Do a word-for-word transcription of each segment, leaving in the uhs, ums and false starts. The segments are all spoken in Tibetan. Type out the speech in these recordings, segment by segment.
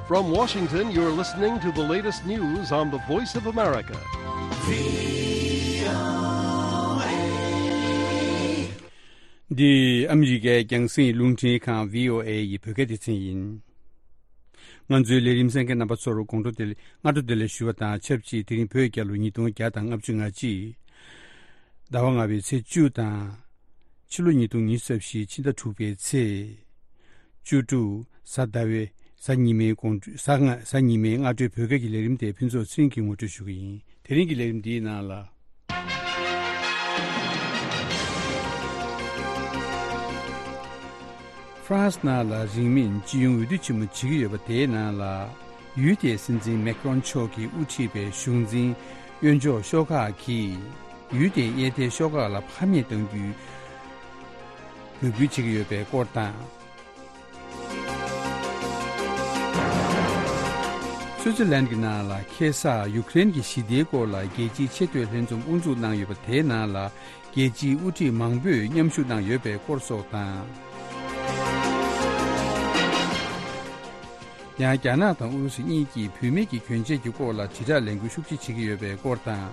From Washington, you're listening to the latest news on the Voice of America. འདི་ཨ་མི་རི་ཀའི་རྒྱང་སྲིང་རླུང་འཕྲིན་ཁང་བྷི་ཨོ་ཨེ་ཡི་བོད་སྐད་སྡེ་ཚན་ཡིན། ང་ཚོའི་ལས་རིམ་གསན་མཁན་རྣམ་པ་ཚོར་དགོང་དྲོ་བདེ་ལེགས། སྔ་དྲོ་བདེ་ལེགས་ཞུ་བ་དང་ཆབས་ཅིག་དེ་རིང་བོད་རྒྱལ་ལོ་ཉིས་སྟོང་བརྒྱ་དང་ལྔ་བཅུ་ང་གཅིག་ཟླ་བ་ལྔ་པའི་ཚེས་བཅུ་དང་། ཕྱི་ལོ་ཉིས་སྟོང་ཉི་ཤུ་རྩ་བཞི་ཕྱི་ཟླ་དྲུག་པའི་ཚེས་བཅུ་དྲུག་གཟའ་ཟླ་བའི་གཟའ་ཉི་མའི་དགོང་དྲོ། གཟའ་ང་གཟའ་ཉི་མའི་སྔ་དྲོའི་བོད་སྐད་ཀྱི་ལས་རིམ་དེ་ཕུན་ཚོགས་ཚེ་རིང་གིས་ངོ་སྤྲོད་ཞུ་གི་ཡིན། དེ་རིང་གི་ལས་རིམ་འདིའི་ནང་ལ། ཧྥ་རན་སི་ནང་ལ་རིང་མིན་སྤྱི་ཡོངས་འོས་བསྡུ་ཆེན་མོ་བྱེད་ཀྱི་ཡོད་པ་དེའི་ནང་ལ། ཡུལ་དེའི་སྲིད་འཛིན་མེག་རོན་མཆོག་གིས་དབུ་ཁྲིད་པའི་གཞུང་འཛིན་གཡོན་ཕྱོགས་ཤོག་ཁག་གིས་ཡུལ་དེའི་གཡས་ཐལ་ཤོག་ཁག་ལ་ཕམ་ཉེས་གཏང་རྒྱུའི་འབོད་སྐུལ་བྱེད་ཀྱི་ཡོད་པའི་སྐོར་དང་། སུའུ་ཙི་ལན་གྱི་ནང་ལ་ཁ་སང་ཡུཀ་རེན་གྱི་ཞི་བདེའི་སྐོར་ལ་རྒྱལ་སྤྱིའི་ཆེས་མཐོའི་ལྷན་འཛོམས་དབུ་འཛུགས་གནང་ཡོད་པ་དེའི་ནང་ལ། རྒྱལ་སྤྱིའི་དབུ་ཁྲིད་མང་པོས་མཉམ་ཞུགས་གནང་ཡོད་པའི་སྐོར་སོགས་དང་། ཡང་རྒྱ་ནག་དང་ཨུ་རུ་སུ་གཉིས་ཀྱིས་བུད་མེད་ཀྱི་གྱོན་ཆས་ཀྱི་སྐོར་ལ་དྲིལ་བསྒྲགས་ལས་འགུལ་ཤུགས་ཆེ་བྱེད་ཀྱི་ཡོད་པའི་སྐོར་དང་།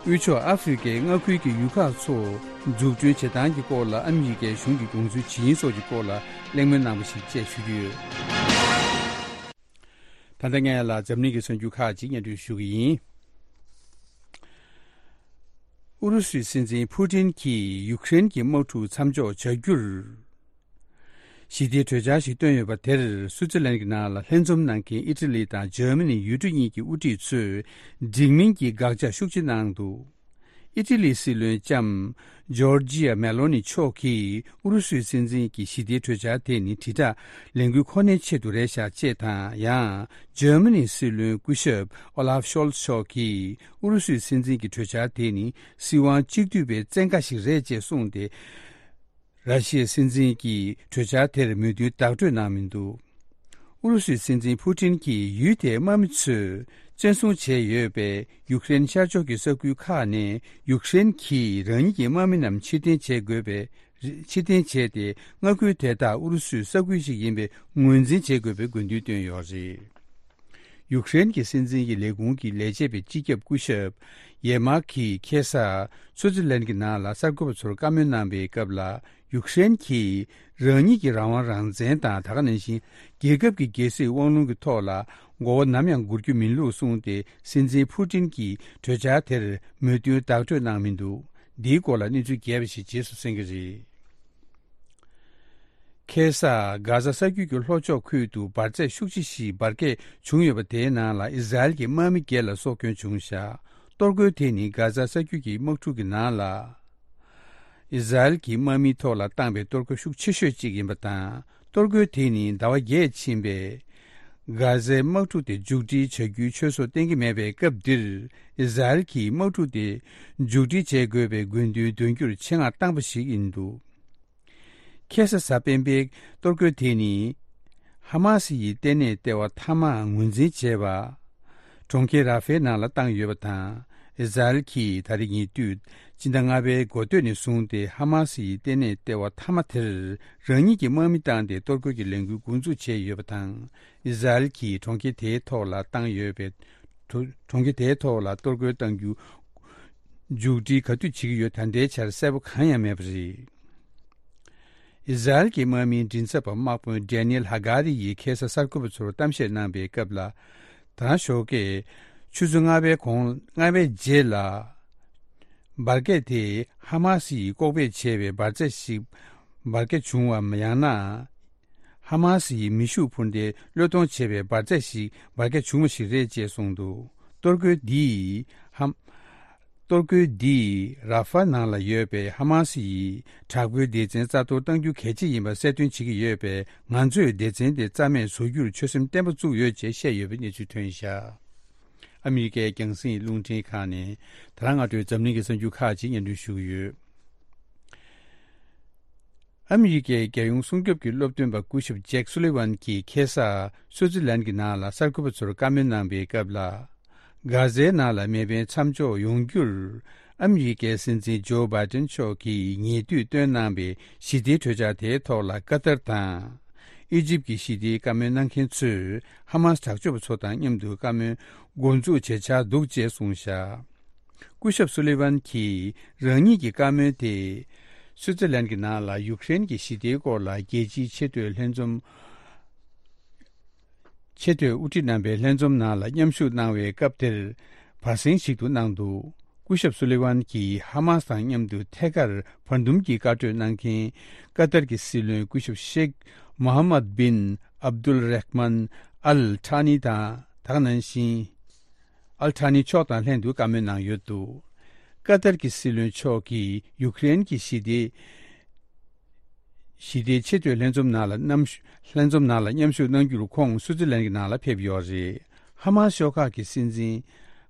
དབུས་ཕྱོགས་ཨ་ཧྥེ་རི་ཀའི་མངའ་ཁུལ་གྱི་ཡུལ་ཁག་ཚོ་འཛུགས་སྐྲུན་བྱེད་སྟངས་ཀྱི་སྐོར་ལ་ཨ་མི་རི་ཀའི་གཞུང་གི་དགོངས་ཚུལ་ཇི་ཡིན་སོགས་ཀྱི་སྐོར་ལ་གླེང་མོལ་གནང་བ་ཞིག་བཅས་ཞུ་རྒྱུ་ཡོད། ད་ལྟ་ངས་ལ་འཛམ་གླིང་གི་གསར་འགྱུར་ཁག་ཅིག་སྙན་སྒྲོན་ཞུ་གི་ཡིན། ཨུ་རུ་སུའི་སྲིད་འཛིན་ཕུ་ཏིན་གྱིས་ཡུཀ་རེན་གྱི་དམག་འཁྲུག་མཚམས་འཇོག་བྱ་རྒྱུར་ཞི་བདེའི་གྲོས་འཆར་ཞིག་བཏོན་ཡོད་པ་དེར། སུའུ་ཙི་ལན་གྱི་ནང་ལ་ལྷན་འཛོམས་གནང་མཁན་ཨི་ཊ་ལི་དང་འཇར་མ་ནི་ཡུལ་གྲུ་གཉིས་ཀྱི་དབུ་ཁྲིད་ཚོས་འགྲིག་མིན་གྱི་དགག་བྱ་ཤུགས་ཆེ་གནང་འདུག་ཨི་ཊ་ལིའི་སྲིད་བློན་ལྕམ་ཇོར་ཇི་ཡ་མེ་ལོ་ནི་མཆོག་གིས་ཨུ་རུ་སུའི་སྲིད་འཛིན་གྱི་ཞི་བདེའི་གྲོས་འཆར་དེ་ནི་དྲིལ་བསྒྲགས་ལས་འགུལ་ཁོ་ནའི་ཆེད་དུ་རེད་ཤག་ཅེས་དང་། ཡང་འཇར་མ་ནིའི་སྲིད་བློན་སྐུ་ཞབས་ཨོ་ལཱབ་ཤོལ་ཚ་མཆོག་གིས་ཨུ་རུ་སུའི་སྲིད་འཛིན་གྱི་གྲོས་འཆར་དེ་ནི་སྲིད་དབང་གཅིག་སྡུད་པའི་བཙན་བཀའ་ཞིག་རེད་ཅེས་གསུངས་ཏེ། ར་ཤི་ཡའི་སྲིད་འཛིན་གྱིས་གྲོས་འཆར་དེར་མོས་མཐུན་བརྡ་སྤྲོད་གནང་མི་འདུག་ཨུ་རུ་སུའི་སྲིད་འཛིན་ཕུ་ཏིན་གྱིས་ཡུལ་དེའི་དམག་མི་ཚོས་བཙན་བཟུང་བྱས་ཡོད་པའི་ཡུཀ་རེན་ཤར་ཕྱོགས་ཀྱི་ས་ཁུལ་ཁག་ནས་ཡུཀ་རེན་གྱིས་རང་ཉིད་ཀྱི་དམག་མི་རྣམས་ཕྱིར་འཐེན་བྱེད་དགོས་པའི། ཕྱིར་འཐེན་བྱས་ཏེ། མངའ་ཁུལ་དེ་དག་ཨུ་རུ་སུའི་ས་ཁུལ་ཞིག་ཡིན་པའི་ངོས་འཛིན་བྱེད་དགོས་པའི་དགོས་འདུན་བཏོན་ཡོད་རེད། ཡུཀ་རེན་གྱི་སྲིད་འཛིན་གྱི་ལས་ཁུངས་ཀྱི་ལས་བྱེད་པའི་སྤྱི་ཁྱབ་སྐུ་ཞབས་ཡེ་མཱག་གིས་ཁ་སང་སུའུ་ཙི་ལན་གྱི་ནང་ལ་གསར་འགོད་པ་ཚོར་བཀའ་མོལ་གནང་པའི་སྐབས་ལ། ཡུཀ་རེན་གྱིས་རང་ཉིད་ཀྱི་རང་དབང་རང་བཙན་དང་། ད་ག་ནང་བཞིན་རྒྱལ་ཁབ་ཀྱི་རྒྱལ་སྲིད་དབང་ལུང་གི་ཐོག་ལ་མགོ་བོ་ནམ་ཡང་སྒུར་རྒྱུ་མིན་ལུགས་གསུངས་ཏེ། སྲིད་འཛིན་ཕུ་ཏིན་གྱིས་གྲོས་འཆར་དེར་མོས་མཐུན་བརྡ་སྤྲོད་གནང་མི་འདུག་འདིའི་སྐོར་ལ་གནས་ཚུལ་རྒྱས་པ་ཞིག་རྗེས་སུ་གསན་གྱི་རེད། ཁ་སང་གྷ་ཛ་ས་རྒྱུད་ཀྱི་ལྷོ་ཕྱོགས་ཁུལ་དུ་འབར་རྫས་ཤུགས་ཆེ་ཞིག་འབར་གས་བྱུང་ཡོད་པ་དེའི་ནང་ལ་ཨི་ཟ་རེལ་གྱི་དམག་མི་བརྒྱད་ལ་སྲོག་སྐྱོན་བྱུང་བཞག་གཏོར་རྒོལ་དེ་ནི་གྷ་ཛ་ས་རྒྱུད་ཀྱི་དམག་འཁྲུག་གི་ནང་ལ། ཨི་ཟ་རེལ་གྱི་དམག་མིའི་ཐོག་ལ་བཏང་པའི་གཏོར་རྒོལ་ཤུགས་ཆེ་ཤོས་གཅིག་ཡིན་པ་དང་། གཏོར་རྒོལ་དེ་ནི་ཟླ་བ་བརྒྱད་ཕྱིན་པའི་གྷ་ཛའི་དམག་འཁྲུག་དེ་མཇུག་སྒྲིལ་བྱ་རྒྱུའི་ཆོས་སྲོལ་གཏན་འཁེལ་མེད་པའི་སྐབས་འདིར། ཨི་ཟ་རེལ་གྱིས་དམག་འཁྲུག་དེ་མཇུག་སྒྲིལ་བྱེད་དགོས་པའི་དགོས་འདུན་འདོན་རྒྱུར་ཆེད་མངགས་བཏང་པ་ཞིག་ཡིན་འདུག་ཁ་སང་གཟའ་སྤེན་པའི་གཏོར་རྒོལ་དེ་ནི་ཧ་མ་སི་ཡི་ལྟེ་གནས་ལྟེ་བ་མཐའ་མ་ངོས་འཛིན་བྱས་པ། གྲོང་ཁྱེར་ར་ཧྥའི་ནང་ལ་བཏང་ཡོད་པ་དང་། ཨི་ཟ་རེལ་གྱིས་ད་རེས་ཉེ་དུས་སྤྱི་ཟླ་ལྔ་པའི་འགོ་སྟོད་ནས་བཟུང་སྟེ་ཧ་མ་སི་ཡི་ལྟེ་གནས་ལྟེ་བ་མཐའ་མ་དེར་རང་ཉིད་ཀྱི་དམག་མི་བཏང་སྟེ་གཏོར་རྒོལ་གྱི་ལས་འགུལ་འགོ་འཛུགས་བྱས་ཡོད་པ་དང་། ཨི་ཟ་རེལ་གྱིས་གྲོང་ཁྱེར་དེའི་ཐོག་ལ་བཏང་ཡོད་པའི། གྲོ་གྲོང་ཁྱེར་དེའི་ཐོག་ལ་གཏོར་རྒོལ་གཏང་རྒྱུ་མཇུག་སྒྲིལ་ག་དུས་བྱེད་ཀྱི་ཡོད་ད་ལྟའི་ཆར་གསལ་པོ་གང་ཡང་མེད་པ་རེད། ཨི་ཟ་རེལ་གྱི་དམག་མིའི་མགྲིན་ཚབ་པ་དམག་དཔོན་ཌེ་ནི་ཨེལ་ཧ་ག་རི་ཡིས་ཁ་སང་གསར་འགོད་པ་ཚོར་གཏམ་བཤད་གནང་པའི་སྐབས་ལ། ད་ཞོགས་ཀས་ཆུ་ཚོད་ལྔ་པའི་གོང་ལྔ་པའི་རྗེས་ལ་འབར་གས་དེ་ཧ་མ་སི་ཡིས་ལྐོག་སྦས་བྱས་པའི་འབར་རྫས་ཤིག་འབར་གས་བྱུང་བའམ་ཡང་ན། ཧ་མ་སི་ཡིས་མེ་ཤུགས་འཕུར་མདེལ་བློས་གཏོང་བྱས་པའི་འབར་རྫས་ཤིག་འབར་གས་བྱུང་བ་ཞིག་རེད་ཅེས་གསུངས་འདུག་གཏོར་རྒོལ་འདིས་ཧམ། གཏོར་རྒོལ་འདིས་ར་ཧྥ་ནང་ལ་ཡོད་པའི་ཧ་མ་སི་ཡི་དྲག་པོའི་སྡེ་ཚན་རྩ་གཏོར་གཏང་རྒྱུ་གལ་ཆེ་ཡིན་པ་གསལ་སྟོན་བྱེད་ཀྱི་ཡོད་པས། ང་ཚོས་སྡེ་ཚན་དེ་རྩ་མེད་བཟོ་རྒྱུར་ཆོད་སེམས་བརྟན་པོ་བཙུགས་ཡོད་ཅེས་བཤད་ཡོད་པའི་གནས་ཚུལ་ཐོན་བཞག་ཨ་མི་རི་ཀའི་རྒྱང་སྲིང་རླུང་འཕྲིན་ཁང་ནས་ད་རང་སྔ་དྲོའི་འཛམ་གླིང་གི་གསར་འགྱུར་ཁག་ཅིག་སྙན་སྒྲོན་ཞུ་གི་ཡོད། ཨ་མི་རི་ཀའི་རྒྱལ་ཡོངས་སྲུང་སྐྱོབ་ཀྱི་སློབ་སྟོན་པ་སྐུ་ཞབས་ཇེག་སུ་ལི་ཝན་གྱིས་ཁ་སང་སུའུ་ཙི་ལན་གྱི་ནང་ལ་གསར་འགོད་པ་ཚོར་བཀའ་མོལ་གནང་པའི་སྐབས་ལ། གྷ་ཟའི་ནང་ལ་མེ་འཕེན་མཚམས་འཇོག་ཡོང་རྒྱུར། ཨ་མི་རི་ཀའི་སྲིད་འཛིན་ཇོ་བྷའི་ཏན་མཆོག་གིས་ཉེ་དུས་བཏོན་གནང་བའི་ཞི་བདེའི་གྲོས་འཆར་དེའི་ཐོག་ལ་ཀ་ཏར་དང་། ཨི་ཇིབ་ཀྱི་ཞི་བདེའི་བཀའ་མོལ་གནང་མཁན་ཚོས་ཧ་མཱས་དྲག་སྤྱོད་པ་ཚོ་དང་མཉམ་དུ་བཀའ་མོལ་འགོ་འཛུགས་བྱེད་འཆར་འདུག་ཅེས་གསུངས་བཞག་སྐུ་ཞབས་སུ་ལི་ཝན་གྱིས་རང་ཉིད་ཀྱི་བཀའ་མོལ་དེ། སུའུ་ཙི་ལན་གྱི་ནང་ལ་ཡུཀ་རེན་གྱི་ཞི་བདེའི་སྐོར་ལ་རྒྱལ་སྤྱིའི་ཆེས་མཐོའི་ལྷན་འཛོམས། ཆེས་མཐོའི་དབུ་ཁྲིད་རྣམ་པའི་ལྷན་འཛོམས་ནང་ལ་མཉམ་ཞུགས་གནང་བའི་སྐབས་དེར་བར་གསེང་ཞིག་ཏུ་གནང་འདུག་སྐུ་ཞབས་སུ་ལི་ཝན་གྱིས་ཧ་མཱས་དང་མཉམ་དུ་ཐད་ཀར་བར་འདུམ་གྱི་བཀའ་གྲོས་གནང་མཁན་ཀ་ཏར་གྱི་སྲིད་བློན་སྐུ་ཞབས་ཤེག་མོ་ཧ་མད་བིན་ཨབ་དུལ་རེཧ་མན་ཨལ་ཐ་ནི་དང་། དེ་ག་ནང་བཞིན། ཨལ་ཐ་ནི་མཆོག་དང་ལྷན་དུ་བཀའ་མོལ་གནང་ཡོད་འདུག་ཀ་ཏར་གྱི་སྲིད་བློན་མཆོག་གིས་ཡུཀ་རེན་གྱི་ཞི་བདེ། ཞི་བདེའི་ཆེས་མཐོའི་ལྷན་འཛོམས་ནང་ལ་མཉམ་ཞུ། ལྷན་འཛོམས་ནང་ལ་མཉམ་ཞུགས་གནང་རྒྱུར་ཁོང་སུའུ་ཙི་ལན་གྱི་ནང་ལ་ཕེབས་ཡོད་རེད། ཧ་མཱ་ཤོག་ཁག་གི་སྲིད་འཛིན།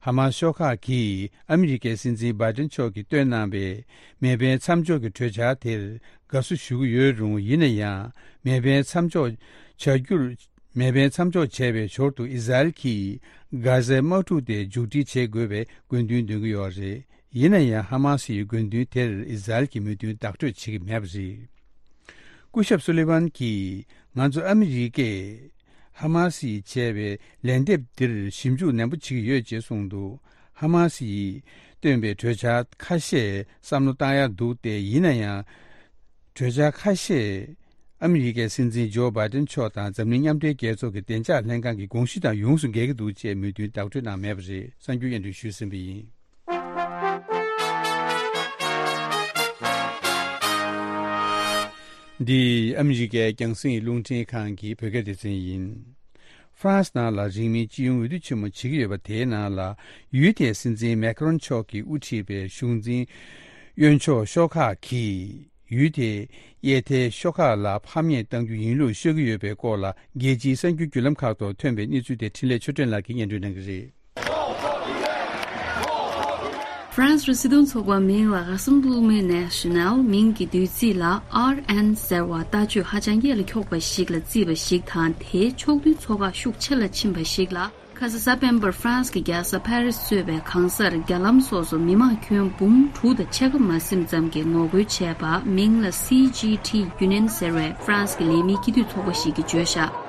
ཧ་མཱ་ཤོག་ཁག་གིས་ཨ་མི་རི་ཀའི་སྲིད་འཛིན་བྷའི་ཏན་མཆོག་གིས་བཏོན་གནང་བའི་མེ་འཕེན་མཚམས་འཇོག་གི་གྲོས་འཆར་དེར་དགའ་བསུ་ཞུ་གི་ཡོད་རུང་། ཡིན་ན་ཡང་མེ་འཕེན་མཚམས་འཇོག་བྱ་རྒྱུར། མེ་འཕེན་མཚམས་འཇོག་བྱས་པའི་ཞོར་དུ་ཨི་ཟ་རེལ་གྱིས་གྷ་ཟའི་དམག་འཁྲུག་དེ་མཇུག་སྒྲིལ་བྱེད་དགོས་པའི་དགོས་འདུན་འདོན་གྱི་ཡོད་རེད། ཡིན་ན་ཡང་ཧ་མཱ་སི་ཡི་དགོས་འདུན་དེར་ཨི་ཟ་རེལ་གྱིས་མོས་མཐུན་བདག་སྤྲོད་བྱེད་ཀྱི་མེད་པ་རེད། སྐུ་ཞབས་སུ་ལི་ཝན་གྱིས་ང་ཚོ་ཨ་མི་རི་ཀས་ཧ་མཱ་སི་ཡིས་བྱས་པའི་ལན་འདེབས་འདིར་ཞིབ་འཇུག་ནན་པོ་བྱེད་ཀྱི་ཡོད་ཅེས་གསུངས་འདུག་ཧ་མཱ་སི་ཡིས་བཏོན་པའི་གྲོས་འཆར་ཁ་ཤས་བསམ་བློ་བཏང་ཡག་འདུག་སྟེ། ཡིན་ན་ཡང་། གྲོས་འཆར་ཁ་ཤས་ཨ་མི་རི་ཀའི་སྲིད་འཛིན་ཇོ་བྷའི་ཏན་མཆོག་དང་འཛམ་གླིང་མཉམ་འབྲེལ་རྒྱལ་ཚོགས་ཀྱི་བདེ་འཇགས་ལྷན་ཁང་གི་དགོངས་གཞི་དང་ཡོངས་སུ་འགལ་གྱི་འདུག་ཅེས་མོས་མཐུན་བདག་སྤྲོད་གནང་མེད་པ་རེད། གསར་འགྱུར་སྙན་སྒྲོན་ཞུས་ཟིན་པ་ཡིན། འདི་ཨ་མི་རི་ཀའི་རྒྱང་སྲིང་རླུང་འཕྲིན་ཁང་གི་བོད་སྐད་སྡེ་ཚན་ཡིན། ཧྥ་རན་སི་ནང་ལ་རིང་མིན་སྤྱི་ཡོངས་འོས་བསྡུ་ཆེན་མོ་བྱེད་ཀྱི་ཡོད་པ་དེའི་ནང་ལ། ཡུལ་དེའི་སྲིད་འཛིན་མེ་ཁ་རོན་མཆོག་གིས་དབུ་ཁྲིད་པའི་གཞུང་འཛིན་གཡོན་ཕྱོགས་ཤོག་ཁག་གིས་ཡུལ་དེའི་གཡས་མཐའི་ཤོག་ཁག་ལ་ཕམ་ཉེས་གཏང་རྒྱུ་ཡིན་ལུགས་ཤོད་ཀྱི་ཡོད་པའི་སྐོར་ལ། རྒྱལ་སྤྱིའི་གསར་འགྱུར་བརྒྱུད་ལམ་ཁག་ཐོག་ཐོན་པའི་གནས་ཚུལ་དེ་འཕྲིན་ལས་ཆོས་སྒྲོན་ལགས་ཀྱིས་སྙན་སྒྲོན་གནང་གི་རེད། ཧྥ་རན་སིའི་སྲིད་དོན་ཚོགས་པ་མིང་ལ་Rassemblement National མིང་གི་བསྡུས་ཚིག་ལ་ཨར་ཨེན་ཟེར་བ་ལྟ་སྤྱོད་ཧ་ཅང་ཡན་ལ་འཁྱོག་པ་ཞིག་ལ་བརྩིས་པ་ཞིག་དང་། དེའི་ཕྱོགས་འདུའི་ཚོགས་ཁག་ཤུགས་ཆེ་ལ་ཕྱིན་པ་ཞིག་ལ། ཁ་ས་སེ་པེན་པར་ཧྥ་རན་སི་གི་རྒྱལ་ས་ཕ་རི་སི་གཙོས་པའི་གང་སར་རྒྱ་ལམ་སོ་སོ་མི་མང་ཁྱོན་འབུམ་དྲུག་དང་ཕྱེད་ཀ་མ་ཟིན་ཙམ་གྱིས་ངོ་རྒོལ་བྱས་པ། མིང་ལ་སི་ཇི་ཐི་ཡུ་ནི་ཡན་ཟེར་བའི་ཧྥ་རན་སི་གི་ལས་མིའི་སྐྱིད་སྡུག་ཚོགས་པ་ཞིག་གིས་བརྗོད་བཞག་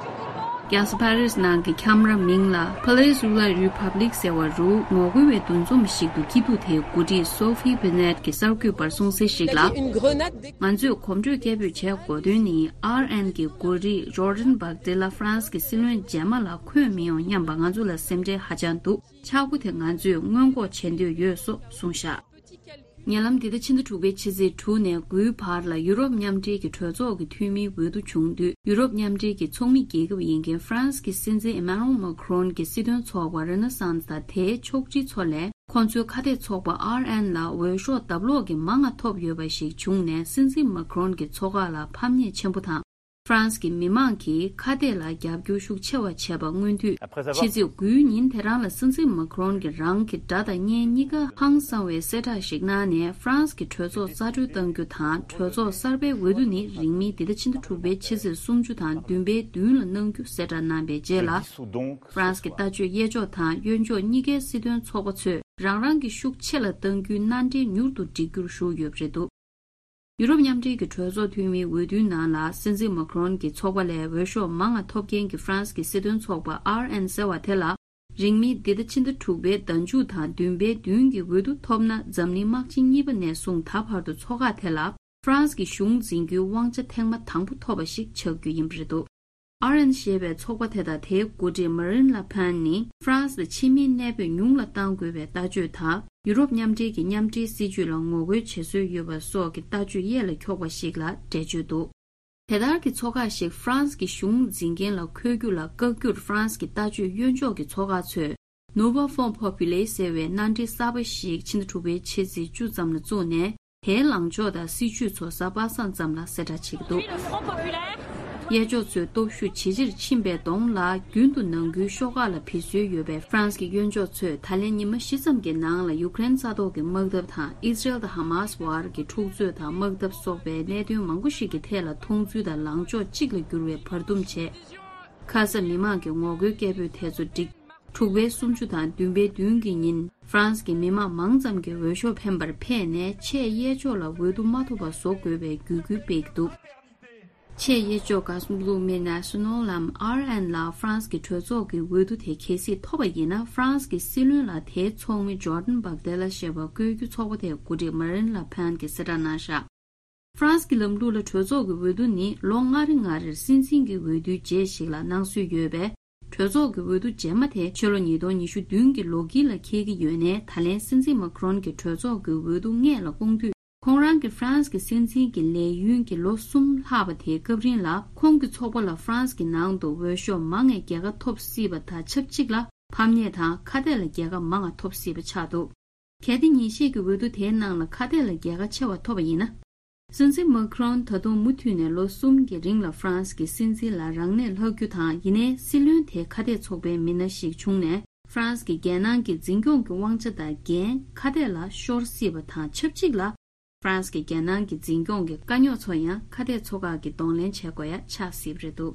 རྒྱལ་ས་ཕ་རི་སི་ནང་གི་ཁྱམས་ར་མིང་ལ་Palais de la République ཟེར་བ་རུ། ངོ་རྒོལ་བའི་འདུ་འཛོམས་ཤིག་ཏུ་སྐྱིད་སྡུག་དེའི་འགོ་ཁྲིད་སོ་ཧྥི་བྷི་ནེད་ཀྱིས་གསར་འགོད་པར་གསུངས་གསལ་ཞིག་ལ། ང་ཚོས་གོམ་བགྲོད་སྐད་འབོད་བྱེད་དགོས་དོན་ནི། ཨར་ཨེན་གྱི་འགོ་ཁྲིད་ཇོར་ཌན་བྷག་ཏི་ལ་ཧྥ་རན་སི་གི་སྲིད་བློན་རྗེས་མ་ལ་འཁོད་མི་ཡོང་སྙམ་པ་ང་ཚོ་ལ་སེམས་ཁྲལ་ཧ་ཅང་འདུག་ཆག་སྒོ་དེ་ང་ཚོས་སྔོན་འགོག་བྱེད་འདོད་ཡོད་སོགས་གསུངས་བཞག་ཉེ་ལམ་འདི་ཟླ་ཕྱི་ཟླ་དྲུག་པའི་ཕྱི་ཚེས་དྲུག་ནས་དགུའི་བར་ལ་ཡུ་རོབ་མཉམ་འབྲེལ་གྱི་གྲོས་ཚོགས་ཀྱི་འཐུས་མིའི་འོས་བསྡུ་བྱུང་དུས། ཡུ་རོབ་མཉམ་འབྲེལ་གྱི་ཚོགས་མི་རྒྱལ་ཁབ་ཡིན་མཁན་ཧྥ་རན་སི་གི་སྲིད་འཛིན་ཨེ་མ་ནུ་ཨེལ་མེ་ཁ་རོན་གྱི་སྲིད་དོན་ཚོགས་པ་རེ་ན་སཱན་སི་དང་དེའི་ཕྱོགས་སྒྲིག་ཚོ་ལས། ཁོང་ཚོའི་ཁ་གཏད་ཚོགས་པ་ཨར་ཨེན་ལ་འོས་ཤོག་ལྡབ་ལོག་གི་མང་ང་ཐོབ་ཡོད་པ་ཞིག་བྱུང་ནས། སྲིད་འཛིན་མེ་ཁ་རོན་གྱི་ཚོགས་ཁག་ལ་ཕམ་ཉེས་ཆེན་པོ་དང་། ཧྥ་རན་སི་གི་མི་མང་གིས་ཁ་གཏད་ལ་རྒྱབ་སྐྱོར་ཤུགས་ཆེ་བ་བྱས་པ་སྔོན་དུས། ཕྱི་ཚེས་དགུའི་ཉིན་དེ་རང་ལ་སྲིད་འཛིན་མེ་ཁ་རོན་གྱིས་རང་གི་དགྲ་དང་གཉེན་གཉིས་ཀ་ཧང་སང་བའི་གསལ་བསྒྲགས་ཤིག་གནང་ནས། ཧྥ་རན་སི་གི་གྲོས་ཚོགས་རྩ་གྲོན་གཏང་རྒྱུ་དང་། གྲོས་ཚོགས་གསར་པའི་འོས་བསྡུ་ནི་རིང་མིན་འདི་ཟླ་ཕྱི་ཟླ་དྲུག་པའི་ཕྱི་ཚེས་སུམ་ཅུ་དང་བདུན་པའི་བདུན་ལ་གནང་རྒྱུ་གསལ་བསྒྲགས་གནང་པའི་རྗེས་ལ། ཧྥ་རན་སི་གི་ལྟ་སྤྱོད་གཡས་ཕྱོགས་དང་གཡོན་ཕྱོགས་གཉིས་ཀའི་སྲིད་དོན་ཚོགས་པ་ཚོས་རང་རང་གི་ཤུགས་ཆེ་ལ་གཏང་རྒྱུའི་མནའ་འབྲེལ་མྱུར་དུ་འགྲིག་རྒྱུར་ཞུགས་ཡོད་པ་རེད་འདུག་ཡུ་རོབ་མཉམ་འབྲེལ་གྱི་གྲོས་ཚོགས་འཐུས་མིའི་འོས་བསྡུའི་ནང་ལ། སྲིད་འཛིན་མ་ཁ་རོན་གྱི་ཚོགས་པ་ལས་འོས་ཤོག་མང་ང་ཐོབ་མཁན་གྱི་ཧྥ་རན་སི་གི་སྲིད་དོན་ཚོགས་པ་ཨར་ཨེན་ཟེར་བ་དེ་ལ། རིང་མིན་འདི་ཟླ་ཕྱི་ཟླ་དྲུག་པའི་ཟླ་མཇུག་དང་བདུན་པའི་བདུན་གྱི་འོས་བསྡུ་ཐོབ་ན། འཛམ་གླིང་དམག་ཆེན་གཉིས་པ་ནས་བཟུང་ད་བར་དུ་ཚོགས་ཁག་དེ་ལ་ཧྥ་རན་སི་གི་གཞུང་འཛིན་རྒྱུའི་དབང་ཆ་ཐེངས་མ་དང་པོ་ཐོབ་པ་ཞིག་ཆགས་རྒྱུ་ཡིན་པ་རེད་འདུག་ཨར་ཨེན་ཞེས་པའི་ཚོགས་པ་དེ་དང་དེའི་འགོ་ཁྲིད་མ་རིན་ལ་ཕན་ནི། ཧྥ་རན་སི་ལ་ཕྱི་མིའི་གནས་སྤོས་ཉུང་ལ་གཏང་དགོས་པའི་ལྟ་སྤྱོད་དང་། ཡུ་རོབ་མཉམ་འབྲེལ་གྱི་མཉམ་འབྲེལ་སྲིད་ཇུས་ལ་ངོ་རྒོལ་བྱེད་སྲོལ་ཡོད་པ་སོགས་ཀྱི་ལྟ་སྤྱོད་གཡས་ལ་འཁྱོག་པ་ཞིག་ལ་འགྲེལ་བརྗོད་འདུག་དེ་ལྟར་གྱི་ཚོགས་ཁག་ཞིག་ཧྥ་རན་སི་གི་གཞུང་འཛིན་མཁན་ལ་འཁོད་རྒྱུ་ལ་བཀག་རྒྱུར། ཧྥ་རན་སི་གི་ལྟ་སྤྱོད་གཡོན་ཕྱོགས་ཀྱི་ཚོགས་ཁག་ཚོས་Nouveau Front Populaire ཟེར་བའི་མནའ་འབྲེལ་གསར་པ་ཞིག་ཕྱི་ཟླ་དྲུག་པའི་ཕྱི་ཚེས་བཅུ་ཙམ་ལ་བཙུགས་ནས། དེའི་ལངས་ཕྱོགས་དང་སྲིད་བྱུས་ཚོ་གཟའ་པ་སངས་ཙམ་ལ་གསལ་བསྒྲགས་བྱེད་ཀྱི་འདུག་གཡས་ཕྱོགས་ཚོས་སྟོབས་ཤུགས་ཇེ་ཆེར་ཕྱིན་པའི་གདོང་ལ། རྒྱུན་དུ་ནང་ཁུལ་ཤོག་ཁག་ལ་བེད་སྲོལ་ཡོད་པའི་ཧྥ་རན་སི་གི་གཡོན་ཕྱོགས་ཚོས་ད་ལན་ཉི་མ་བཞི་ཙམ་གྱི་ནང་ལ་ཡུཀ་རེན་ས་ཐོག་གི་དམག་འཐབ་དང་། ཨི་ཟི་རེལ་དང་ཧ་མཱ་སི་བར་གྱི་འཁྲུག་རྩོད་དང་དམག་འཐབ་སོགས་པའི་གནད་དོན་མང་པོ་ཞིག་གི་ཐད་ལ་མཐོང་ཚུལ་དང་ལངས་ཕྱོགས་གཅིག་ལ་གྱུར་བའི་བར་འདུམ་བྱས། ཁ་ས་མི་མང་གི་ངོ་རྒོལ་སྐད་འབོད་དེ་ཚོ་བསྒྲིགས། དྲུག་པའི་སུམ་ཅུ་དང་བདུན་པའི་བདུན་གྱི་ཉིན་ཧྥ་རན་སི་གི་མི་མང་མང་ཙམ་གྱིས་འོས་ཤོག་འཕེན་པར་ཕེབས་ནས་ཆེས་གཡས་ཕྱོགས་ལ་འོས་བསྡུ་མ་ཐོབ་པ་བཟོ་དགོས་པའི་བརྒྱུད་སྐུལ་སྤེལ་གྱི་འདུག་ཆེས་གཡས་ཕྱོགས་ག་སུ་ལུ་མི་ནེ་ཤ་ནལ་ལམ་ཨར་ཨེན་ལ་ཧྥ་རན་སི་གི་གྲོས་ཚོགས་ཀྱི་འོས་བསྡུ་དེ་གལ་སྲིད་ཐོབ་པ་ཡིན་ན། ཧྥ་རན་སི་གི་སྲིད་བློན་ལ་དེའི་ཚོགས་མི་ཇོར་ཌན་བྷག་ཏེ་ལ་ཞེས་པ་བསྐོས་རྒྱུ་ཚོགས་པ་དེའི་འགོ་ཁྲིད་མ་རིན་ལ་ཕན་གྱིས་གསལ་བསྒྲགས་གནང་བཞག་ཧྥ་རན་སི་གི་ལམ་ལུགས་ལ་གྲོས་ཚོགས་ཀྱི་འོས་བསྡུ་ནི་ལོ་ལྔ་རེ་ལྔ་རེར་སྲིད་འཛིན་གྱི་འོས་བསྡུའི་རྗེས་ཤིག་ལ་གནང་སྲོལ་ཡོད་པས། གྲོས་ཚོགས་ཀྱི་འོས་བསྡུ་རྗེས་མ་དེ་ཕྱི་ལོ་ཉིས་སྟོང་ཉི་ཤུ་བདུན་གྱི་ལོ་དཀྱིལ་ལ་འཁེལ་གྱི་ཡོད་ནས། ད་ལན་སྲིད་འཛིན་མཱ་ཁི་རོན་གྱིས་གྲོས་ཚོགས་ཀྱི་འོས་བསྡུ་སྔས་ལ་བསྐོང་དུས། ཁོང་རང་གིས་ཧྥ་རན་སི་གི་སྲིད་འཛིན་གྱི་ལས་ཡུན་གྱི་ལོ་གསུམ་ལྷག་པ་དེའི་སྐབས་རིང་ལ། ཁོང་གི་ཚོགས་པ་ལ་ཧྥ་རན་སི་གི་ནང་དུ་འོས་ཤོག་མང་བའི་རྒྱལ་ཁ་ཐོབ་སྲིད་པ་དང་ཆབས་ཅིག་ལ། ཕམ་ཉེས་དང་ཁ་གཏད་ལ་རྒྱལ་ཁ་མང་བ་ཐོབ་སྲིད་པ་ཆགས་འདུག་གལ་ཏེ་ཉིན་ཤས་ཀྱི་འོས་བསྡུ་དེའི་ནང་ལ་ཁ་གཏད་ལ་རྒྱལ་ཁ་ཆེ་བ་ཐོབ་པ་ཡིན་ན། སྲིད་འཛིན་མཱ་ཁི་རོན་ད་དུང་མུ་མཐུད་ནས་ལོ་གསུམ་གྱི་རིང་ལ་ཧྥ་རན་སི་གི་སྲིད་འཛིན་ལ་རང་གནས་ལྷག་རྒྱུ་དང་། ཡིན་ནའི་སྲིད་བློན་དེ་ཁ་གཏད་ཚོགས་པའི་མི་སྣ་ཞིག་བྱུང་ནས། ཧྥ་རན་སི་གི་རྒྱལ་ནང་གི་འཛིན་སྐྱོང་གི་དབང་ཆ་དང་འགན་ཁ་གཏད་ལ་ཤོར་སྲིད་པ་དང་ཆབས་ཅིག་ལ། ཧྥ་རན་སི་གི་རྒྱལ་ནང་གི་འཛིན་སྐྱོང་གི་དཀའ་རྙོག་ཚོ་ཡང་ཁ་གཏད་ཚོགས་ཁག་གིས་གདོང་ལེན་བྱེད་དགོས་ཡ་ཆགས་སྲིད་པ་རེད་འདུག་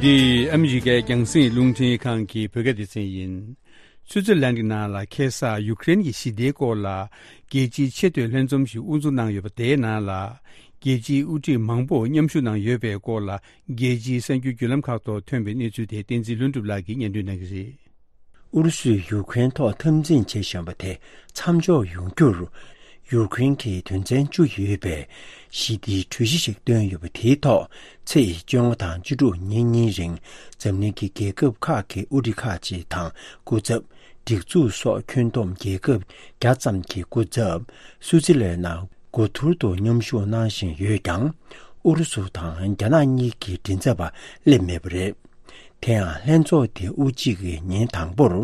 འདི་ཨ་མི་རི་ཀའི་རྒྱང་སྲིང་རླུང་འཕྲིན་ཁང་གི་བོད་སྐད་སྡེ་ཚན་ཡིན། སུའུ་ཙི་ལན་གྱི་ནང་ལ་ཁ་སང་ཡུ་ཀེ་རེན་གྱི་ཞི་བདེའི་སྐོར་ལ་རྒྱལ་སྤྱིའི་ཆེས་མཐོའི་ལྷན་འཛོམས་ཤིག་དབུ་འཛུགས་གནང་ཡོད་པ། དེའི་ནང་ལ་རྒྱལ་སྤྱིའི་དབུ་ཁྲིད་མང་པོ་མཉམ་ཞུགས་གནང་ཡོད་པའི་སྐོར་ལ། རྒྱལ་སྤྱིའི་གསར་འགྱུར་བརྒྱུད་ལམ་ཁག་ཐོག་ཐོན་པའི་གནས་ཚུལ་དེ་བསྟན་འཛིན་ལྷུན་གྲུབ་ལགས་ཀྱིས་སྙན་སྒྲོན་གནང་གི་རེད། ཨུ་རུ་སུས་ཡུ་ཀེ་རེན་ཐོག་འཐབ་འཛིང་བྱེད་བཞིན་པ་དེ་མཚམས་འཇོག་ཡོང་རྒྱུར། ཡུ་ཀེ་རེན་གྱིས་དོན་ཚན་བཅུ་ཡོད་པའི་ཞི་བདེའི་གྲོས་གཞི་ཞིག་བཏོན་ཡོད་པ། དེའི་ཐོག་ཚེས་བཅོ་ལྔ་དང་བཅུ་དྲུག་ཉིན་གཉིས་རིང་འཛམ་གླིང་གི་རྒྱལ་ཁབ་ཁག་གི་དབུ་ཁྲིད་ཁག་ཅིག་དང་། སྐུ་ཚབ། སྒྲིག་འཛུགས་སོགས་ཁྱོན་བསྡོམས་རྒྱལ་ཁབ་བརྒྱ་ཙམ་གྱི་སྐུ་ཚབ་སུའུ་ཙི་ལན་ནང་འགོ་ཐུར་དུ་མཉམ་ཞུགས་གནང་བཞིན་ཡོད་ཀྱང་། ཨུ་རུ་སུ་དང་རྒྱ་ནག་གཉིས་ཀྱི་མགྲིན་ཚབ་པ་སླེབས་མེད་པ་རེད། དེ་ཡང་ལྷན་ཚོགས་དེ་དབུ་འབྱེད་ཀྱི་ཉིན་དང་པོར་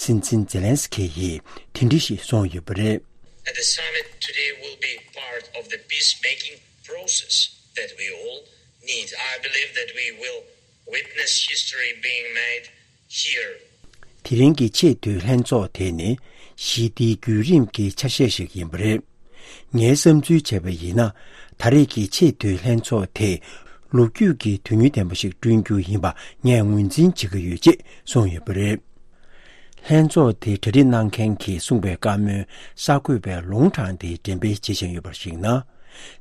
སྲིད་འཛིན་ཛེ་ལན་སི་ཁི་ཡིས་དེ་འདྲ་ཞིག་གསུངས་ཡོད་པ་རེད། And the summit today will be part of the peacemaking process that we all need. I believe that we will witness history being made here. དེ་རིང་གི་ཆེས་མཐོའི་ལྷན་ཚོགས་དེ་ནི་ཞི་བདེའི་བརྒྱུད་རིམ་གྱི་ཆ་ཤས་ཤིག་ཡིན་པ་རེད། ངའི་བསམ་ཚུལ་བྱས་པ་ཡིན་ན། ད་རེས་ཀྱི་ཆེས་མཐོའི་ལྷན་ཚོགས་དེ་ལོ་རྒྱུས་ཀྱི་དོན་སྙིང་ལྡན་པ་ཞིག་བསྐྲུན་རྒྱུ་ཡིན་པ་ངས་ངོས་འཛིན་བྱེད་ཀྱི་ཡོད་ཅེས་གསུངས་ཡོད་པ་རེད། ལྷན་ཚོགས་དེ་གྲ་སྒྲིག་གནང་མཁན་གྱིས་གསུངས་པའི་བཀའ་མོལ་གསར་འགོད་པས་ལུང་དྲངས་ཏེ་འགྲེམས་སྤེལ་བྱེད་བཞིན་ཡོད་པར་གཞིགས་ན།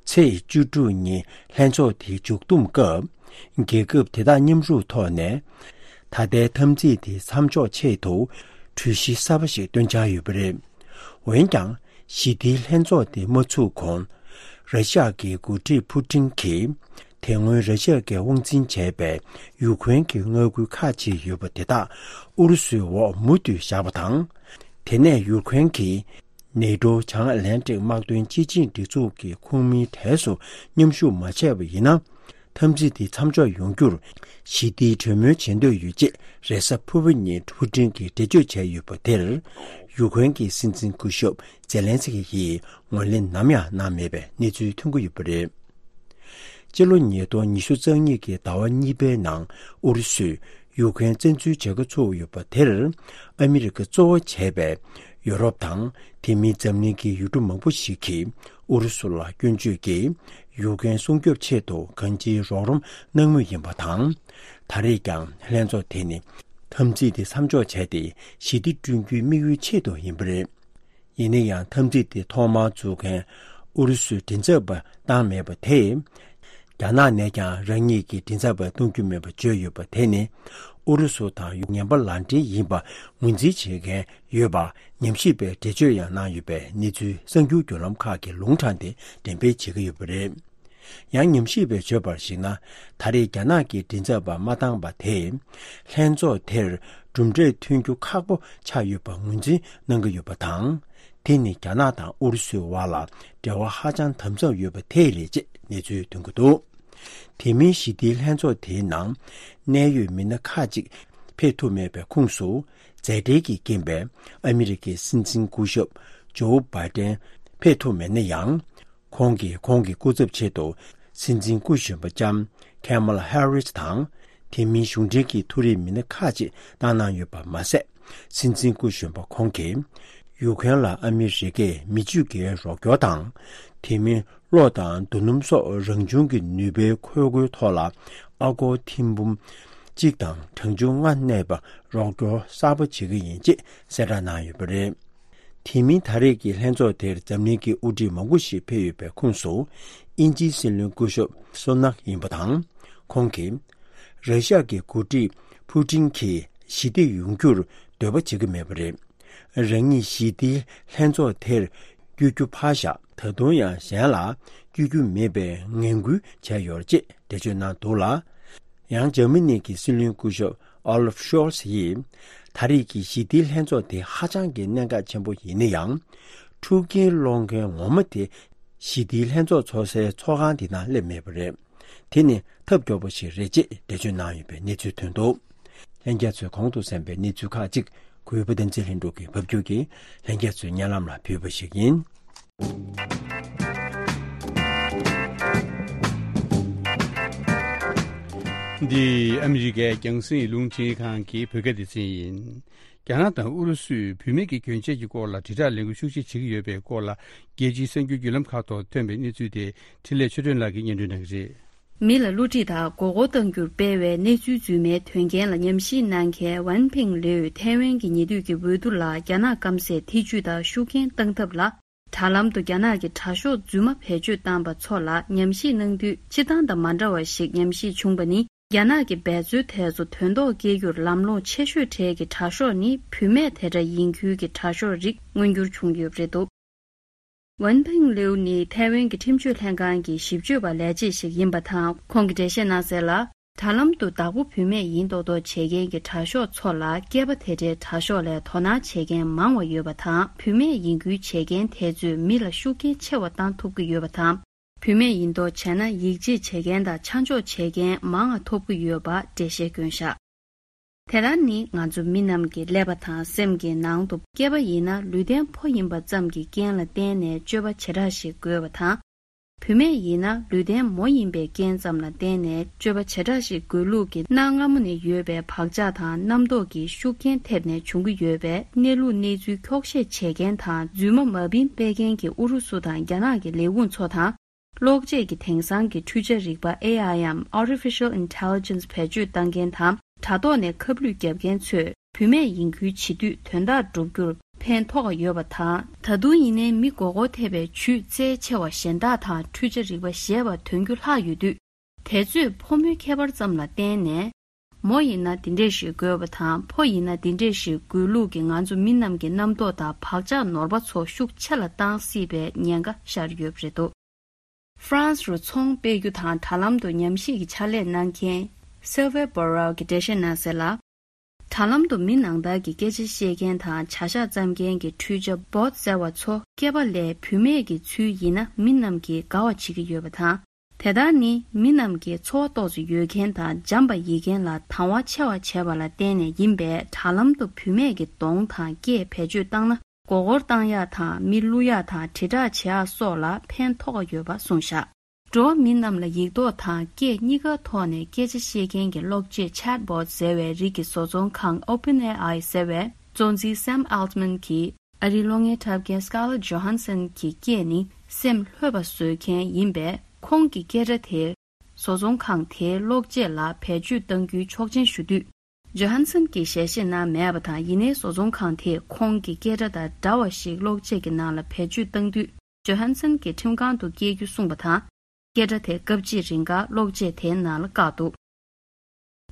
ཚེས་བཅུ་དྲུག་ཉིན་ལྷན་ཚོགས་དེའི་མཇུག་བསྡོམས་སྐབས། རྒྱལ་ཁབ་དེ་དག་མཉམ་རུབ་ཐོག་ནས། ད་ལྟའི་འཐབ་འཛིང་དེ་མཚམས་འཇོག་ཆེད་དུ་གྲོས་གཞི་གསར་པ་ཞིག་བཏོན་འཆར་ཡོད་པ་རེད། འོན་ཀྱང་། ཞི་བདེའི་ལྷན་ཚོགས་དེ་མ་ཚུགས་གོང་། ར་ཤ་ཡ་གི་འགོ་ཁྲིད་ཕུ་ཀྲིན་གྱིས། དེ་སྔོན་ར་ཤ་ཡ་གིས་དབང་འཛིན་བྱས་པའི་ཡུ་ཀེ་རེན་གྱི་མངའ་ཁུལ་ཁག་ཅིག་ཡོད་པ་དེ་དག་ཨུ་རུ་སུའི་འོག་མུ་མཐུད་བཞག་པ་དང་། དེ་ནས་ཡུ་ཀེ་རེན་གྱིས། ནེ་ཏྲོ་བྱང་ཨ་ལན་ཀྲིག་དམག་དོན་སྤྱི་ཆིངས་སྒྲིག་འཛུགས་ཀྱི་ཁོངས་མིའི་གྲས་སུ་མཉམ་ཞུགས་མ་བྱས་པ་ཡིན་ན། འཐབ་འཛིང་དེ་མཚམས་འཇོག་ཡོང་རྒྱུར་ཞི་བདེའི་གྲོས་མོལ་བྱེད་འདོད་ཡོད་ཅེས་རེས་གཟའ་ཕུར་བུ་ཉིན་ཕུ་ཀྲིན་གྱིས་འགྲེལ་བརྗོད་བྱས་ཡོད་པ་དེར། ཡུ་ཀེ་རེན་གྱི་སྲིད་འཛིན་སྐུ་ཞབས་ཛེ་ལན་སི་ཀི་ཡིས་ངོས་ལེན་ནམ་ཡང་གནང་མེད་པའི་གནས་ཚུལ་ཐོན་གྱི་ཡོད་པ་རེད། སྤྱི་ལོ་ཉིས་སྟོང་ཉི་ཤུ་རྩ་གཉིས་ཀྱི་ཟླ་བ་གཉིས་པའི་ནང་ཨུ་རུ་སུས་ཡུ་ཀེ་རེན་བཙན་འཛུལ་བྱེད་འགོ་ཚུགས་ཡོད་པ་དེར། ཨ་མི་རི་ཀ་གཙོ་བོ་བྱས་པའི་ཡོ་རོབ་དང་དེ་མིན་འཛམ་གླིང་གི་ཡུལ་གྲུ་མང་པོ་ཞིག་གིས་ཨུ་རུ་སུ་ལ་སྐྱོན་བརྗོད་ཀྱིས་ཡུ་ཀེ་རེན་སྲུང་སྐྱོབ་ཆེད་དུ་གང་ཅིའི་རོགས་རམ་གནང་མུས་ཡིན་པ་དང་། ད་རེས་ཀྱང་ལྷན་ཚོགས་དེ་ནི་འཐབ་འཛིང་དེ་མཚམས་འཇོག་བྱས་ཏེ་ཞི་བདེ་བསྐྲུན་རྒྱུའི་དམིགས་ཡུལ་ཆེད་དུ་ཡིན་པ་རེད། ཡིན་ན་ཡང་འཐབ་འཛིང་དེ་ཐོག་མར་འཛུགས་མཁན་ཨུ་རུ་སུའི་མགྲིན་ཚབ་པ་བཏང་མེད་པ་དེས། རྒྱ་ནག་ནས་ཀྱང་རང་ཉིད་ཀྱི་མགྲིན་ཚབ་པ་གཏོང་རྒྱུ་མེད་པ་བརྗོད་ཡོད་པ་དེ་ནི། ཨུ་རུ་སུ་དང་ཡུ་ངན་པ་ལག་འབྲེལ་ཡིན་པ་ངོས་འཛིན་བྱེད་མཁན་ཡོད་པ་ཉམས་ཞིབ་པས་འགྲེལ་བརྗོད་ཡང་གནང་ཡོད་པའི་གནས་ཚུལ་གསར་འགྱུར་བརྒྱུད་ལམ་ཁག་གིས་ལུང་དྲངས་ཏེ་འགྲེམས་སྤེལ་བྱེད་ཀྱི་ཡོད་པ་རེད། ཡང་ཉམས་ཞིབ་པས་བརྗོད་པར་གཞིགས་ན། ད་རེས་རྒྱ་ནག་གི་མགྲིན་ཚབ་པ་མ་བཏང་པ་དེས། ལྷན་ཚོགས་དེར་གྲུབ་འབྲས་ཐོན་རྒྱུ་ཁག་པོ་ཆགས་ཡོད་པ་ངོས་འཛིན་གནང་གི་ཡོད་པ་དང་། དེ་ནི་རྒྱ་ནག་དང་ཨུ་རུ་སུའི་དབར་ལ་འབྲེལ་བ་ཧ་ཅང་དམ་ཟབ་ཡོད་པ་དེས་རེད་ཅེས་གནས་ཚུལ་ཐོན་གྱི་འདུག་དེ་མིན་ཞི་བདེའི་ལྷན་ཚོགས་དེའི་ནང་གནད་ཡོད་མི་སྣ་ཁག་ཅིག་ཕེབས་ཐུབ་མེད་པའི་ཁོངས་སུ། མཛད་བྲེལ་གྱིས་རྐྱེན་པས་ཨ་མི་རི་ཀའི་སྲིད་འཛིན་སྐུ་ཞབས་ཇོ་བྷའི་ཏན་ཕེབས་ཐུབ་མེད་ན་ཡང་། ཁོང་གིས་ཁོང་གི་སྐུ་ཚབ་ཆེད་དུ་སྲིད་འཛིན་སྐུ་གཞོན་པ་ལྕམ་ཁེ་མ་ལ་ཧེ་རིས་དང་། དེ་མིན་གཞུང་འབྲེལ་གྱི་ཐུགས་རེ་མི་སྣ་ཁག་ཅིག་བཏང་གནང་ཡོད་པ་མ་ཟད། སྲིད་འཛིན་སྐུ་གཞོན་པ་ཁོང་གིས་ཡུ་ཀེ་རེན་ལ་ཨ་མི་རི་ཀས་མི་ཆོས་ཀྱི་རོགས་སྐྱོར་དང་། དེ་མིན་ གློ་དང་རྡོ་སྣུམ་སོགས་རང་བྱུང་གི་ནུས་པའི་འཁོར་སྒོའི་ཐོག་ལ་ཨ་སྒོར་ཐེར་འབུམ་གཅིག་དང་གྲངས་ཆུང་ལྔ་གནས་པ་རོགས་སྐྱོར་གསར་པ་བྱེད་ཀྱི་ཡིན་ཅེས་གསལ་བསྒྲགས་གནང་ཡོད་པ་རེད། དེ་མིན་ད་རེས་ཀྱི་ལྷན་ཚོགས་དེར་འཛམ་གླིང་གི་དབུ་ཁྲིད་མང་པོ་ཞིག་ཕེབས་ཡོད་པའི་ཁོངས་སུ་དབྱིན་ཇིའི་སྲིད་བློན་སྐུ་ཞབས་སུ་ནག་ཡིན་པ་དང་། ཁོང་གིས་ར་ཤ་གི་འགོ་ཁྲིད་ཕུ་ཊིན་གྱིས་ཞི་བདེ་ཡོང་རྒྱུར་འདོད་པ་བྱེད་ཀྱི་མེད་པ་རེད། རང་ཉིད་ཞི་བདེའི་ལྷན་ཚོགས་དེར་བསྐྱོད་རྒྱུ་ཕར་བཞག་ད་དུང་ཡང་གཞན་ལ་བསྐྱོད་རྒྱུ་མེད་པའི་ངན་སྐུལ་བྱས་ཡོད་ཅེས་འགྲེལ་བརྗོད་གནང་འདུག་ལ། ཡང་འཇར་མ་ནི་གི་སྲིད་བློན་སྐུ་ཞབས་ཨོ་ལབ་ཤོལ་ཚ་ཡིས་ད་རེས་ཀྱི་ཞི་བདེའི་ལྷན་ཚོགས་དེ་ཧ་ཅང་གི་གནད་འགག་ཆེན་པོ་ཡིན་ན་ཡང་། འཁྲུག་རྐྱེན་སློང་མཁན་ངོ་མ་དེ་ཞི་བདེའི་ལྷན་ཚོགས་ཚོགས་སའི་ཚོགས་ཁང་དེ་ནང་སླེབས་མེད་པ་རེད། དེ་ནི་ཐབས་སྐྱོ་པོ་ཞིག་རེད་ཅེས་འགྲེལ་བརྗོད་གནང་ཡོད་པའི་གནས་ཚུལ་ཐོན་འདུག་ལྷན་རྒྱས་ཚོས་གོང་དུ་གསན་པའི་གནས་ཚུལ་ཁག་ཅིག་གུས་པ་བསྟན་འཛིན་ལྷུན་གྲུབ་ཀྱིས་ཕབ་སྒྱུར་གྱིས་ལྷན་རྒྱས་ཚོའི་སྙན་ལམ་ལ་ཕུལ་བ་ཞིག་ཡིན། འདི་ཨ་མི་རི་ཀའི་རྒྱང་སྲིང་རླུང་འཕྲིན་ཁང་གི་བོད་སྐད་སྡེ་ཚན་ཡིན། རྒྱ་ནག་དང་ཨུ་རུ་སུས་བུད་མེད་ཀྱི་གྱོན་ཆས་ཀྱི་སྐོར་ལ་དྲིལ་བསྒྲགས་ལས་འགུལ་ཤུགས་ཆེ་བྱེད་ཀྱི་ཡོད་པའི་སྐོར་ལ། རྒྱལ་སྤྱིའི་གསར་འགྱུར་བརྒྱུད་ལམ་ཁག་ཐོག་ཐོན་པའི་གནས་ཚུལ་དེ་འཕྲིན་ལས་ཆོས་སྒྲོན་ལགས་ཀྱིས་སྙན་སྒྲོན་གནང་གི་རེད། མི་ལ་བསླུ་བྲིད་དང་མགོ་སྐོར་གཏང་རྒྱུར་སྤེལ་བའི་གནས་ཚུལ་རྫུན་མའི་དོན་རྐྱེན་ལ་ཉམས་ཞིབ་གནང་མཁན་ཝན་ཕིང་ལེའུས་ཐའེ་ཝན་གྱི་ཉེ་དུས་ཀྱི་འོས་བསྡུ་ལ་རྒྱ་ནག་སྐམ་སས་ཐེ་ཇུས་དང་ཤུགས་རྐྱེན་གཏང་ཐབས་ལ། དྲ་ལམ་དུ་རྒྱ་ནག་གི་དྲ་ཤོག་རྫུན་མ་བེད་སྤྱོད་བཏང་པ་ཚོ་ལ་ཉམས་ཞིབ་གནང་དུས། སྤྱིར་བཏང་དང་མ་འདྲ་བ་ཞིག་ཉམས་ཞིབ་བྱུང་པ་ནི། རྒྱ་ནག་གི་འབད་རྩོལ་དེ་ཚོ་དོན་ཐོག་སྐྱེལ་རྒྱུར་ལམ་ལྷོང་ཆེ་ཤོས་གྲས་ཀྱི་དྲ་ཤོག་ནི་བུད་མེད་དེ་འདྲ་ཡིན་ཁུལ་གྱི་དྲ་ཤོག་རིགས་མངོན་འགྱུར་བྱུང་ཡོད་པ་རེད་འདུག་ཝན་ཕིང་ལེའུ་ནི་ཐའེ་ཝན་གྱི་ཁྲིམས་གཅོད་ལྷན་ཁང་གི་ཞིབ་དཔྱོད་པ་ལས་བྱེད་ཞིག་ཡིན་པ་དང་། ཁོང་གིས་འགྲེལ་བཤད་གནང་གསལ་ལ། དྲ་ལམ་དུ་བདག་པོ་བུད་མེད་ཡིན་མདོག་མདོག་བྱེད་མཁན་གྱི་དྲ་ཤོག་ཚོ་ལ། སྐྱེས་པ་དེ་འདྲའི་དྲ་ཤོག་ལས་དོ་སྣང་བྱེད་མཁན་མང་བ་ཡོད་པ་དང་། བུད་མེད་ཡིན་ཁུལ་བྱེད་མཁན་དེ་ཚོས་མི་ལ་ཤུགས་རྐྱེན་ཆེ་བ་བཏང་ཐུབ་ཀྱི་ཡོད་པ་དང་། བུད་མེད་ཡིན་མདོག་བྱས་ན་ཡིད་ཆེས་བྱེད་མཁན་དང་ཆ་འཇོག་བྱེད་མཁན་མང་བ་ཐོབ་ཀྱི་ཡོད་པ་འགྲེལ་བཤད་བསྐྱོན་བཞག་དེ་ལྟར་ནི་ང་ཚོ་མི་རྣམས་ཀྱི་ཀླད་པ་དང་སེམས་ཀྱི་ནང་དུ། སྐྱེས་པ་ཡིན་ན་ལུས་རྟེན་ཕོ་ཡིན་པ་ཙམ་གྱི་རྐྱེན་ལ་བརྟེན་ནས་སྤྱོད་པ་བྱེ་བྲག་ཞིག་དགོས་པ་དང་། བུད་མེད་ཡིན་ན་ལུས་རྟེན་མོ་ཡིན་པའི་རྐྱེན་ཙམ་ལ་བརྟེན་ནས་སྤྱོད་པ་བྱེ་བྲག་ཞིག་དགོས་ལུགས་ཀྱི་གནའ་སྔ་མོ་ནས་ཡོད་པའི་བག་ཆགས་དང་རྣམ་རྟོག་གི་ཤུགས་རྐྱེན་ཐེབས་ནས་བྱུང་གི་ཡོད་པས། གནས་ལུགས་གནས་ཚུལ་འཁྱོག་བཤད་བྱེད་མཁན་དང་རྫུན་མ་མ་བིན་སྤེལ་མཁན་གྱི་ཨུ་རུ་སུ་དང་རྒྱ་ནག་གི་ལས་ཁུངས་ཚོ་དང་། གློག་ཆས་ཀྱི་དེང་སང་གི་འཕྲུལ་ཆ་རིག་པ་ཨེ་ཨའི་འམ་Artificial Intelligence བེད་སྤྱོད་བཏང་མཁན་དང་། དྲ་ཐོག་ནས་ཁ་བསླུས་བརྒྱབ་མཁན་ཚོས་བུད་མེད་ཡིན་ཁུལ་བྱེད་དུས་དོན་དག་སྒྲུབ་རྒྱུར་ཕན་ཐོགས་ཡོད་པ་དང་། ད་དུང་ཡིན་ནའི་མི་མགོ་སྐོར་ཐེབས་པའི་ཇུས་རྩལ་ཆེ་བ་གཞན་དག་དང་འཕྲུལ་ཆ་རིག་པ་ཞེས་པ་ཐོན་རྒྱུ་ལྷག་ཡོད་དུས། དེ་ཚོས་ཕོ་མོའི་ཁྱད་པར་ཙམ་ལ་བརྟེན་ནས། མོ་ཡིན་ན་འདི་འདྲས་ཞིག་དགོས་པ་དང་ཕོ་ཡིན་ན་འདི་འདྲས་ཞིག་དགོས་ལུགས་ཀྱི་ང་ཚོ་མི་རྣམས་ཀྱི་རྣམ་རྟོག་དང་བག་ཆགས་ནོར་བ་ཚོ་ཤུགས་ཆེ་ལ་བཏང་སྲིད་པའི་ཉེན་ཁ་ཤར་ཡོད་པ་རེད་འདུག་ཧྥ་རན་སི་རུ་ཚོང་སྤེལ་རྒྱུ་དང་དྲ་ལམ་དུ་ཉམས་ཞིབ་ཀྱི་ཕྱག་ལས་གནང་མཁན་སིལ་ཝེ་བྷོ་རལ་གྱིས་འགྲེལ་བཤད་གནང་གསལ་ལ། དྲ་ལམ་དུ་མི་ནང་ལྟར་གྱི་སྐད་ཆ་བཤད་མཁན་དང་བྱ་གཞག་བརྩམ་མཁན་གྱི་འཕྲུལ་ཆ་བོཊ་ཟེར་བ་ཚོ་སྐྱེས་པ་ལས་བུད་མེད་ཀྱི་ཚུལ་ཡིན་ན་མི་རྣམས་ཀྱིས་དགའ་བ་བྱེད་ཀྱི་ཡོད་པ་དང་། དེ་ལྟར་ནི་མི་རྣམས་ཀྱིས་ཚོར་བ་ཏོག་ཙམ་ཡོད་མཁན་དང་འཇམ་པ་ཡིན་མཁན་ལ་དང་བ་ཆེ་བ་བྱས་པ་ལ་བརྟེན་ནས་ཡིན་པས། དྲ་ལམ་དུ་བུད་མེད་ཀྱི་གདོང་དང་སྐད་བེད་སྤྱོད་བཏང་ན། མགོ་སྐོར་བཏང་ཡག་དང་མི་བསླུ་ཡག་དང་དྲིལ་བསྒྲགས་བྱེད་ཡག་སོགས་ལ་ཕན་ཐོགས་ཡོད་པ་གསུངས་བཞག་འགྲོ་བ་མི་རྣམས་ལ་ཡིག་ཐོག་དང་སྐད་གཉིས་ཀ་ཐོག་ནས་སྐད་ཆ་བཤད་མཁན་གྱི་གློག་ཆས་Chatbot ཟེར་བའི་རིགས་ཀྱི་བཟོ་ཚོང་ཁང་ཨོ་པན་ཨེ་ཨའི་ཟེར་བའི་གཙོ་འཛིན་Sam Altman གྱིས། ཨ་རིའི་གློག་བརྙན་འཁྲབ་མཁན་Scarlett Johansson གྱི་སྐད་ནི་སེམས་ལྷོད་པ་བཟོ་མཁན་ཡིན་པས། ཁོང་གི་སྐད་སྒྲ་དེ་བཟོ་ཚོང་ཁང་དེའི་གློག་ཆས་ལ་བེད་སྤྱོད་གཏང་རྒྱུའི་ཆོག་མཆན་ཞུ་དུས། ཇོ་ཧན་སན་གྱིས་ཞལ་བཞེས་གནང་མེད་པ་དང་། ཡིན་ནའི་བཟོ་ཚོང་ཁང་དེས་ཁོང་གི་སྐད་སྒྲ་དང་འདྲ་བ་ཞིག་གློག་ཆས་ཀྱི་ནང་ལ་བེད་སྤྱོད་གཏང་དུས། ཇོ་ཧན་སན་གྱིས་ཁྲིམས་ཁང་དུ་སྐྱེལ་རྒྱུ་གསུངས་པ་དང་། སྐད་སྒྲ་དེ་སྐབས་གཅིག་རིང་ག་གློག་ཆས་དེའི་ནང་ལ་བཀག་འདུག་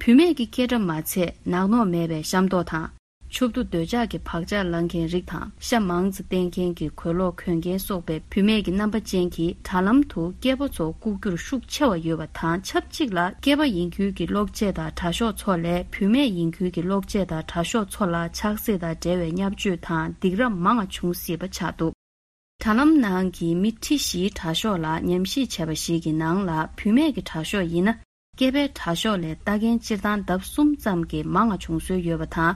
བུད་མེད་ཀྱི་སྐད་སྒྲ་མ་ཚད་ནག་ནོག་མེད་པའི་ཤ་མདོག་དང་། ཕྱོགས་བསྡུ་འདོད་ཆགས་ཀྱི་བག་ཆགས་ལང་མཁན་རིགས་དང་། ཤ་མང་ཙམ་བསྟེན་མཁན་གྱི་གོས་ལོག་གོན་མཁན་སོགས་པའི་བུད་མེད་ཀྱི་རྣམ་པ་ཅན་གྱིས་དྲ་ལམ་དུ་སྐྱེས་པ་ཚོ་བཀུག་རྒྱུར་ཤུགས་ཆེ་བ་ཡོད་པ་དང་ཆབས་ཅིག་ལ། སྐྱེས་པ་ཡིན་ཁུལ་གྱི་གློག་ཆས་དང་དྲ་ཤོག་ཚོ་ལས་བུད་མེད་ཡིན་ཁུལ་གྱི་གློག་ཆས་དང་དྲ་ཤོག་ཚོ་ལ་ཆགས་སྲེད་དང་འབྲེལ་བའི་བརྙས་བཅོས་དང་སྡིགས་ར་མང་བ་བྱུང་སྲིད་པ་ཆགས་འདུག་དྲ་ལམ་ནང་གི་མི་ཁྲི་བཞིའི་དྲ་ཤོག་ལ་ཉམས་ཞིབ་བྱས་པ་ཞིག་གི་ནང་ལ། བུད་མེད་ཀྱི་དྲ་ཤོག་ཡིན་ན། སྐྱེས་པའི་དྲ་ཤོག་ལས་ལྟ་མཁན་སྤྱིར་བཏང་ལྡབ་གསུམ་ཙམ་གྱིས་མང་བ་བྱུང་སྲོལ་ཡོད་པ་དང་།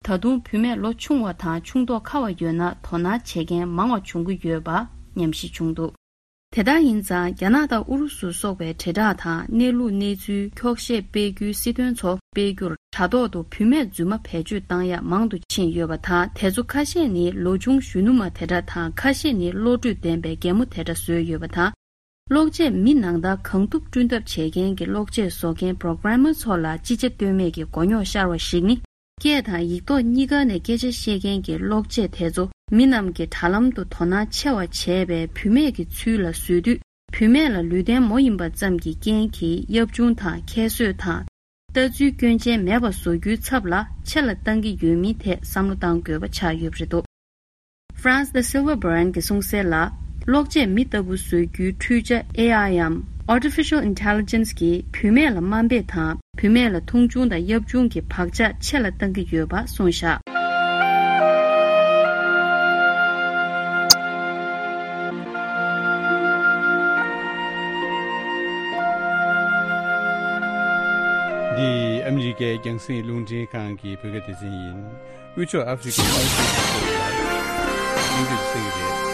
ད་དུང་བུད་མེད་ལོ་ཆུང་བ་དང་ཆུང་མདོག་ཁ་བ་ཡོད་ན་དོ་སྣང་བྱེད་མཁན་མང་བ་བྱུང་གི་ཡོད་པ་ཉམས་ཞིབ་བྱུང་འདུག་དེ་ལྟར་ཡིན་ཙང་། རྒྱ་ནག་དང་ཨུ་རུ་སུ་སོགས་པའི་དྲིལ་བསྒྲགས་དང་གནས་ལུགས་གནས་ཚུལ་འཁྱོག་བཤད་སྤེལ་རྒྱུའི་སྲིད་དོན་ཚོ་སྤེལ་རྒྱུར་དྲ་ཐོག་ཏུ་བུད་མེད་རྫུན་མ་བེད་སྤྱོད་བཏང་ཡག་མང་དུ་ཕྱིན་ཡོད་པ་དང་། དེ་ཚོ་ཁ་ཤས་ནི་ལོ་ཆུང་གཞོན་ནུ་མ་དེ་འདྲ་དང་། ཁ་ཤས་ནི་བློ་གྲོས་ལྡན་པའི་རྒན་མོ་དེ་འདྲ་བཟོས་ཡོད་པ་དང་། གློག་ཆས་མི་ནང་ལྟར་གང་ཐུབ་བསྐྲུན་ཐབས་བྱེད་མཁན་གྱི་གློག་ཆས་བཟོ་མཁན་པོ་རོ་གྷ་ར་མར་ཚོ་ལ་ཅི་བྱ་གཏོལ་མེད་ཀྱི་མགོ་རྙོག་ཤར་བ་ཞིག་ནི། སྐད་དང་ཡིག་ཐོག་གཉིས་ཀ་ནས་སྐད་ཆ་བཤད་མཁན་གྱི་གློག་ཆས་དེ་ཚོ་མི་རྣམས་ཀྱིས་དྲ་ལམ་དུ་དོ་སྣང་ཆེ་བ་བྱས་པའི་བུད་མེད་ཀྱི་ཚུལ་ལ་བཟོས་དུས། བུད་མེད་ལ་ལུས་རྟེན་མོ་ཡིན་པ་ཙམ་གྱི་རྐྱེན་གྱིས་གཡབ་ཆུང་དང་ཁྱད་གསོད་དང་། ལྟ་ཚུལ་སྐྱོན་ཅན་མེད་པ་བཟོ་རྒྱུའི་ཚབ་ལ་ཆེ་ལ་གཏང་གི་ཡོད་མིན་ཐད་བསམ་བློ་གཏང་དགོས་པ་ཆགས་ཡོད་པ་རེད་འདུག Franz de Silva Brand གྱིས་གསུངས་གསལ་ལ། གློག་ཆས་མི་ལྟ་བུ་བཟོ་རྒྱུའི་འཕྲུལ་ཆ་ཨེ་ཨའི་འམ་Artificial Intelligence གྱིས་བུད་མེད་ལ་དམའ་འབེབས་དང་། བུད་མེད་ལ་མཐོང་ཆུང་དང་གཡབ་ཆུང་གི་བག་ཆགས་ཆེ་ལ་གཏང་གི་ཡོད་པ་གསུངས་བཞག་འདི་ཨ་མི་རི་ཀའི་རྒྱང་སྲིང་རླུང་འཕྲིན་ཁང་གི་བོད་སྐད་སྡེ་ཚན་ཡིན། དབུས་ཕྱོགས་ཨ་ཧྥེ་རི་ཁའི་ཨ་ཧྥེ་རི་ཁའི་ཁོངས་ལ་གླེང་བརྗོད་གསན་གྱི་རེད།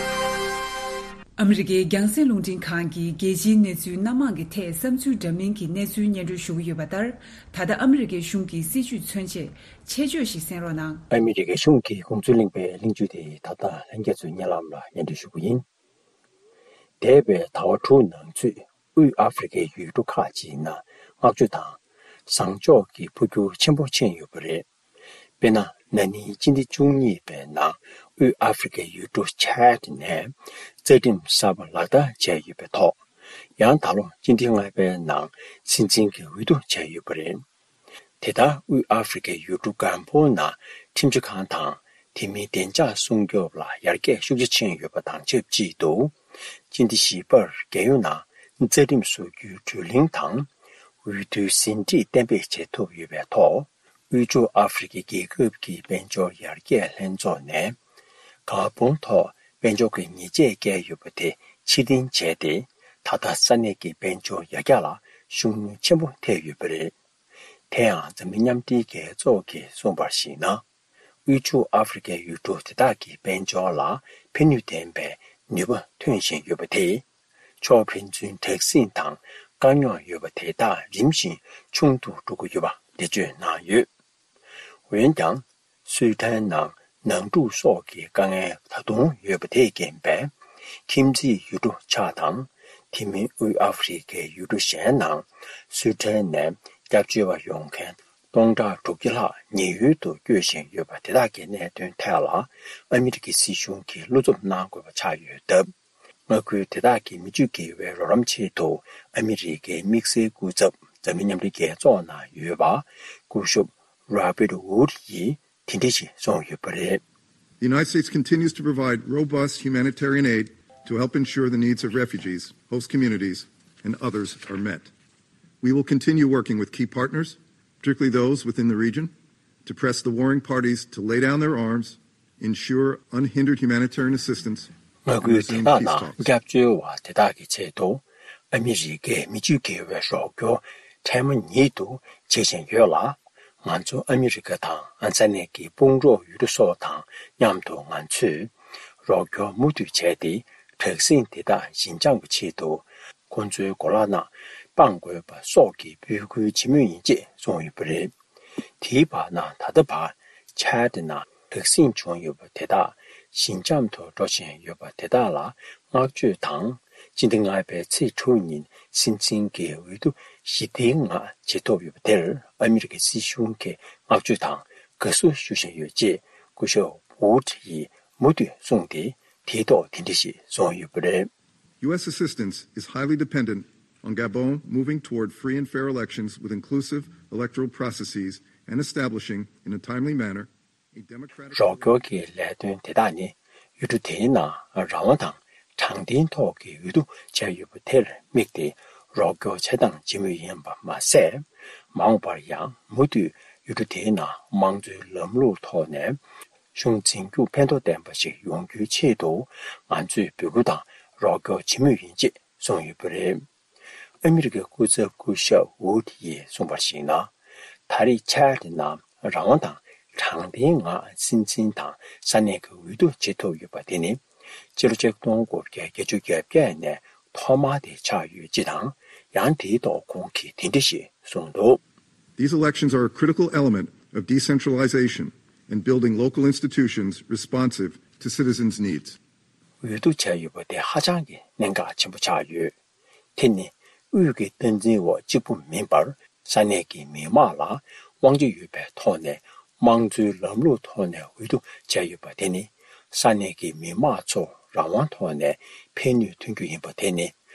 ཨ་མི་རི་ཀའི་རྒྱང་སྲིང་རླུང་འཕྲིན་ཁང་གིས་རྒྱལ་སྤྱིའི་གནས་ཚུལ་སྣ་མང་གི་ཐད་བསམ་ཚུལ་འདྲ་མིན་གྱི་གནས་ཚུལ་སྙན་སྒྲོན་ཞུ་གི་ཡོད་པ་ལྟར། ད་ལྟ་ཨ་མི་རི་ཀའི་གཞུང་གི་སྲིད་བྱུས་མཚོན་ཆེད་ཆེད་བརྗོད་ཞིག་གསན་རོགས་གནང་། ཨ་མི་རི་ཀའི་གཞུང་གིས་དགོངས་ཚུལ་གླེང་པའི་གླེང་བརྗོད་དེ་ད་ལྟ་ལྷན་རྒྱས་ཚོའི་སྙན་ལམ་ལ་སྙན་སྒྲོན་ཞུ་གི་ཡིན། འདས་པའི་ཟླ་བ་དྲུག་ནང་ཚུད། དབུས་ཨ་ཧྥེ་རི་ཁའི་ཡུལ་གྲུ་ཁག་ཅིག་ནང་བསྔགས་བརྗོད་དང་། བཟང་ཕྱོགས་ཀྱི་འཕོ་འགྱུར་ཆེན་པོ་ཕྱིན་ཡོད་པ་རེད། དཔེར་ན། ན་ནིང་སྤྱི་ཟླ་བཅུ་གཉིས་པའི་ནང་དབུས་ཨ་ཧྥེ་རི་ཁའི་ཡུལ་གྲུ་ཆད་ནས་རྩ་ཁྲིམས་གསར་པ་ལག་བསྟར་བྱས་ཡོད་པའི་ཐོག་ཡང་ད་ལོ་སྤྱི་ཟླ་ལྔ་པའི་ནང་སྲིད་འཛིན་གྱི་འོས་བསྡུ་བྱས་ཡོད་པ་རེད། དེ་ལྟར་དབུས་ཨ་ཧྥེ་རི་ཁའི་ཡུལ་གྲུ་གམ་པོ་ནང་ཁྲིམས་ཞིབ་ཁང་དང་དེ་མིན་བདེ་འཇགས་སྲུང་སྐྱོབ་ལ་ཡར་རྒྱས་ཤུགས་ཆེ་ཕྱིན་ཡོད་པ་དང་ཆབས་ཅིག་ཏུ། སྤྱི་ཟླ་བཞི་པར་རྒྱལ་ཡོངས་ནང་རྩ་ཁྲིམས་བཟོ་རྒྱུའི་བགྲོ་གླེང་དང་། འོས་བསྡུའི་ཟིན་བྲིས་གཏན་འབེབས་བྱེད་ཐུབ་ཡོད་པའི་ཐོག་དབུས་ཕྱོགས་ཨ་ཧྥེ་རི་ཁའི་རྒྱལ་ཁབ་ཀྱི་དཔལ་འབྱོར་ཡར་རྒྱས་ལྷན་ཚོགས་ནས། གར་བོང་ཐོག་དཔལ་འབྱོར་གྱི་ཉེས་ཆད་བཀལ་ཡོད་པ་དེ་ཕྱིར་འཐེན་བྱས་ཏེ། ད་ལྟ་ས་གནས་ཀྱི་དཔལ་འབྱོར་ཡར་རྒྱས་ལ་ཤུགས་སྣོན་ཆེན་པོ་ཐེབས་ཡོད་པ་རེད། དེ་ཡང་འཛམ་གླིང་མཉམ་འབྲེལ་རྒྱལ་ཚོགས་ཀྱིས་གསུངས་པར་གཞིགས་ན། དབུས་ཕྱོགས་ཨ་ཧྥེ་རི་ཁའི་ཡུལ་གྲུ་དེ་དག་གི་དཔལ་འབྱོར་ལ་ཕན་ནུས་ལྡན་པའི་ནུས་པ་ཐོན་བཞིན་ཡོད་པ་དེས། ཕྱོགས་ཕན་ཚུན་དྲག་ཟིང་དང་དཀའ་རྙོག་ཡོད་པ་དེ་དག་རིམ་བཞིན་ཆུང་དུ་འགྲོ་གི་ཡོད་པ་འགྲེལ་བརྗོད་གནང་ཡོད། འོན་ཀྱང་། སུའེ་ཏན་ནང་ནང་འཁྲུག་སོགས་ཀྱི་དཀའ་ངལ་ད་དུང་ཡོད་པ་དེས་རྐྱེན་པས། ཁྱིམ་མཚེས་ཡུལ་གྲུ་ཆགས་དང་། དེ་མིན་དབུས་ཨ་ཧྥེ་རི་ཁའི་ཡུལ་གྲུ་གཞན་ནང་སུའེ་ཏན་ནས་སྐྱབས་བཅོལ་བ་ཡོང་མཁན་སྟོང་ཕྲག་དྲུག་བརྒྱ་ལྷག་ཉེན་གཡོལ་དུ་བསྐྱོད་བཞིན་ཡོད་པ་དེ་དག་གི་གནད་དོན་ཐད་ལ་ཨ་མི་རི་ཀའི་སྲིད་གཞུང་གིས་བློ་འཚབ་གནང་དགོས་པ་ཆགས་ཡོད་སྟབས། མངའ་ཁུལ་དེ་དག་གི་མི་སྤྱོད་དགེ་བའི་རོགས་རམ་ཆེད་དུ་ཨ་མི་རི་ཀའི་དམིགས་བསལ་སྐུ་ཚབ་འཛམ་གླིང་མཉམ་འབྲེལ་རྒྱལ་ཚོགས་ནང་ཡོད་པ་སྐུ་ཞབས་Robert Wood ཡིས་དེ་འདྲ་ཞིག་གསུངས་ཡོད་པ་རེད། The United States continues to provide robust humanitarian aid to help ensure the needs of refugees, host communities, and others are met. We will continue working with key partners, particularly those within the region, to press the warring parties to lay down their arms, ensure unhindered humanitarian assistance, མངའ་ཁུལ་དེ་དག་ནང་སྐྱབས་བཅོལ་བ་དེ་དག་གི་ཆེད་དུ་ཨ་མི་རི་ཀས་མི་སྤྱོད་དགེ་བའི་རོགས་སྐྱོར་འཕྲལ་མ་ཉིད་དུ་བྱེད་བཞིན་ཡོད་ལ། ང་ཚོ་ཨ་མི་རི་ཀ་དང་ས་གནས་ཀྱི་དཔུང་གྲོགས་ཡུལ་གྲུ་སོགས་དང་མཉམ་དུ་ང་ཚོས་རོགས་སྐྱོར་མུ་མཐུད་བྱས་ཏེ། དྲག་ཟིང་དེ་དག་ཞི་འཇམ་གྱི་ཆེད་དུ་ཁོང་ཚོའི་གོ་ལ་ནང་སྤང་དགོས་པ་སོགས་ཀྱི་འབོད་སྐུལ་བྱེད་མུས་ཡིན་ཅེས་གསུངས་ཡོད་པ་རེད། དེའི་བར་ན་ད་ལྟ་བར་ཆད་ནང་དྲག་ཟིང་བྱུང་ཡོད་པ་དེ་དག་ཞི་འཇམ་དུ་འགྲོ་བཞིན་ཡོད་པ་དེ་དག་ལ་བསྔགས་བརྗོད་དང་། སྤྱི་ཟླ་ལྔ་པའི་ཚེས་དྲུག་ཉིན་སྲིད་འཛིན་གྱི་འོས་བསྡུ་ཞི་བདེའི་ངང་བྱེད་ཐུབ་ཡོད་པ་དེར་ཨ་མི་རི་ཀའི་སྲིད་གཞུང་གིས་བསྔགས་བརྗོད་དང་དགའ་བསུ་ཞུ་བཞིན་ཡོད་ཅེས་སྐུ་ཞབས་Wood ཡིས་མུ་མཐུད་གསུངས་ཏེ། དེའི་ཐོག་དེ་འདྲ་ཞིག་གསུངས་ཡོད་པ་རེད། U S assistance is highly dependent on Gabon moving toward free and fair elections with inclusive electoral processes and establishing, in a timely manner, a democratic རོགས་སྐྱོར་གྱི་ལས་དོན་དེ་དག་ནི་ཡུལ་གྲུ་དེའི་ནང་རང་དབང་དང་དྲང་བདེན་ཐོག་གི་འོས་བསྡུ་བྱས་ཡོད་པ་དེར་དམིགས་ཏེ་རོགས་སྐྱོར་བྱེད་སྟངས་བྱེད་མུས་ཡིན་པ་མ་ཟད། མ་འོངས་པར་ཡང་མུ་མཐུད་ཡུལ་གྲུ་དེའི་ནང་དམངས་གཙོའི་ལམ་ལུགས་ཐོག་ནས་གཞུང་འཛིན་རྒྱུ་ཕན་ཐོགས་ལྡན་པ་ཞིག་ཡོང་རྒྱུའི་ཆེད་དུ་ང་ཚོས་འབོད་སྐུལ་དང་རོགས་སྐྱོར་བྱེད་མུས་ཡིན་ཅེས་གསུངས་ཡོད་པ་རེད། ཨ་མི་རི་ཀའི་སྐུ་ཚབ་སྐུ་ཞབས་ཝུད་ཡིས་གསུངས་པར་གཞིགས་ན། ད་རེས་ཆད་ནང་རང་དབང་དང་དྲང་བདེན་ངང་སྲིད་འཛིན་དང་ས་གནས་ཀྱི་འོས་བསྡུ་བྱེད་ཐུབ་ཡོད་པ་དེ་ནི། ཕྱི་ལོ་ཆིག་སྟོང་དགུ་བརྒྱ་བརྒྱད་ཅུ་གྱ་བརྒྱད་ནས་ཐོག་མ་དེ་ཆགས་ཡོད་ཅེས་དང་། ཡང་དེའི་ཐོག་ཁོང་གིས་དེ་འདྲ་ཞིག་གསུངས་འདུག These elections are a critical element of decentralization and building local institutions responsive to citizens' needs. འོས་བསྡུ་བྱས་ཡོད་པ་དེ་ཧ་ཅང་གི་གནད་འགག་ཆེན་པོ་ཆགས་ཡོད། དེ་ནི་དབུས་ཀྱི་སྟངས་འཛིན་འོག་གཅིག་པུ་མིན་པར། ས་གནས་ཀྱི་མི་དམངས་ལ་དབང་ཆ་ཡོད་པའི་ཐོག་ནས་དམངས་གཙོའི་ལམ་ལུགས་ཐོག་ནས་འོས་བསྡུ་བྱས་ཡོད་པ་དེ་ནི། ས་གནས་ཀྱི་མི་དམངས་ཚོ་རང་དབང་ཐོག་ནས་ཕན་ནུས་ཐོན་རྒྱུ་ཡིན་པ་དེ་ནི།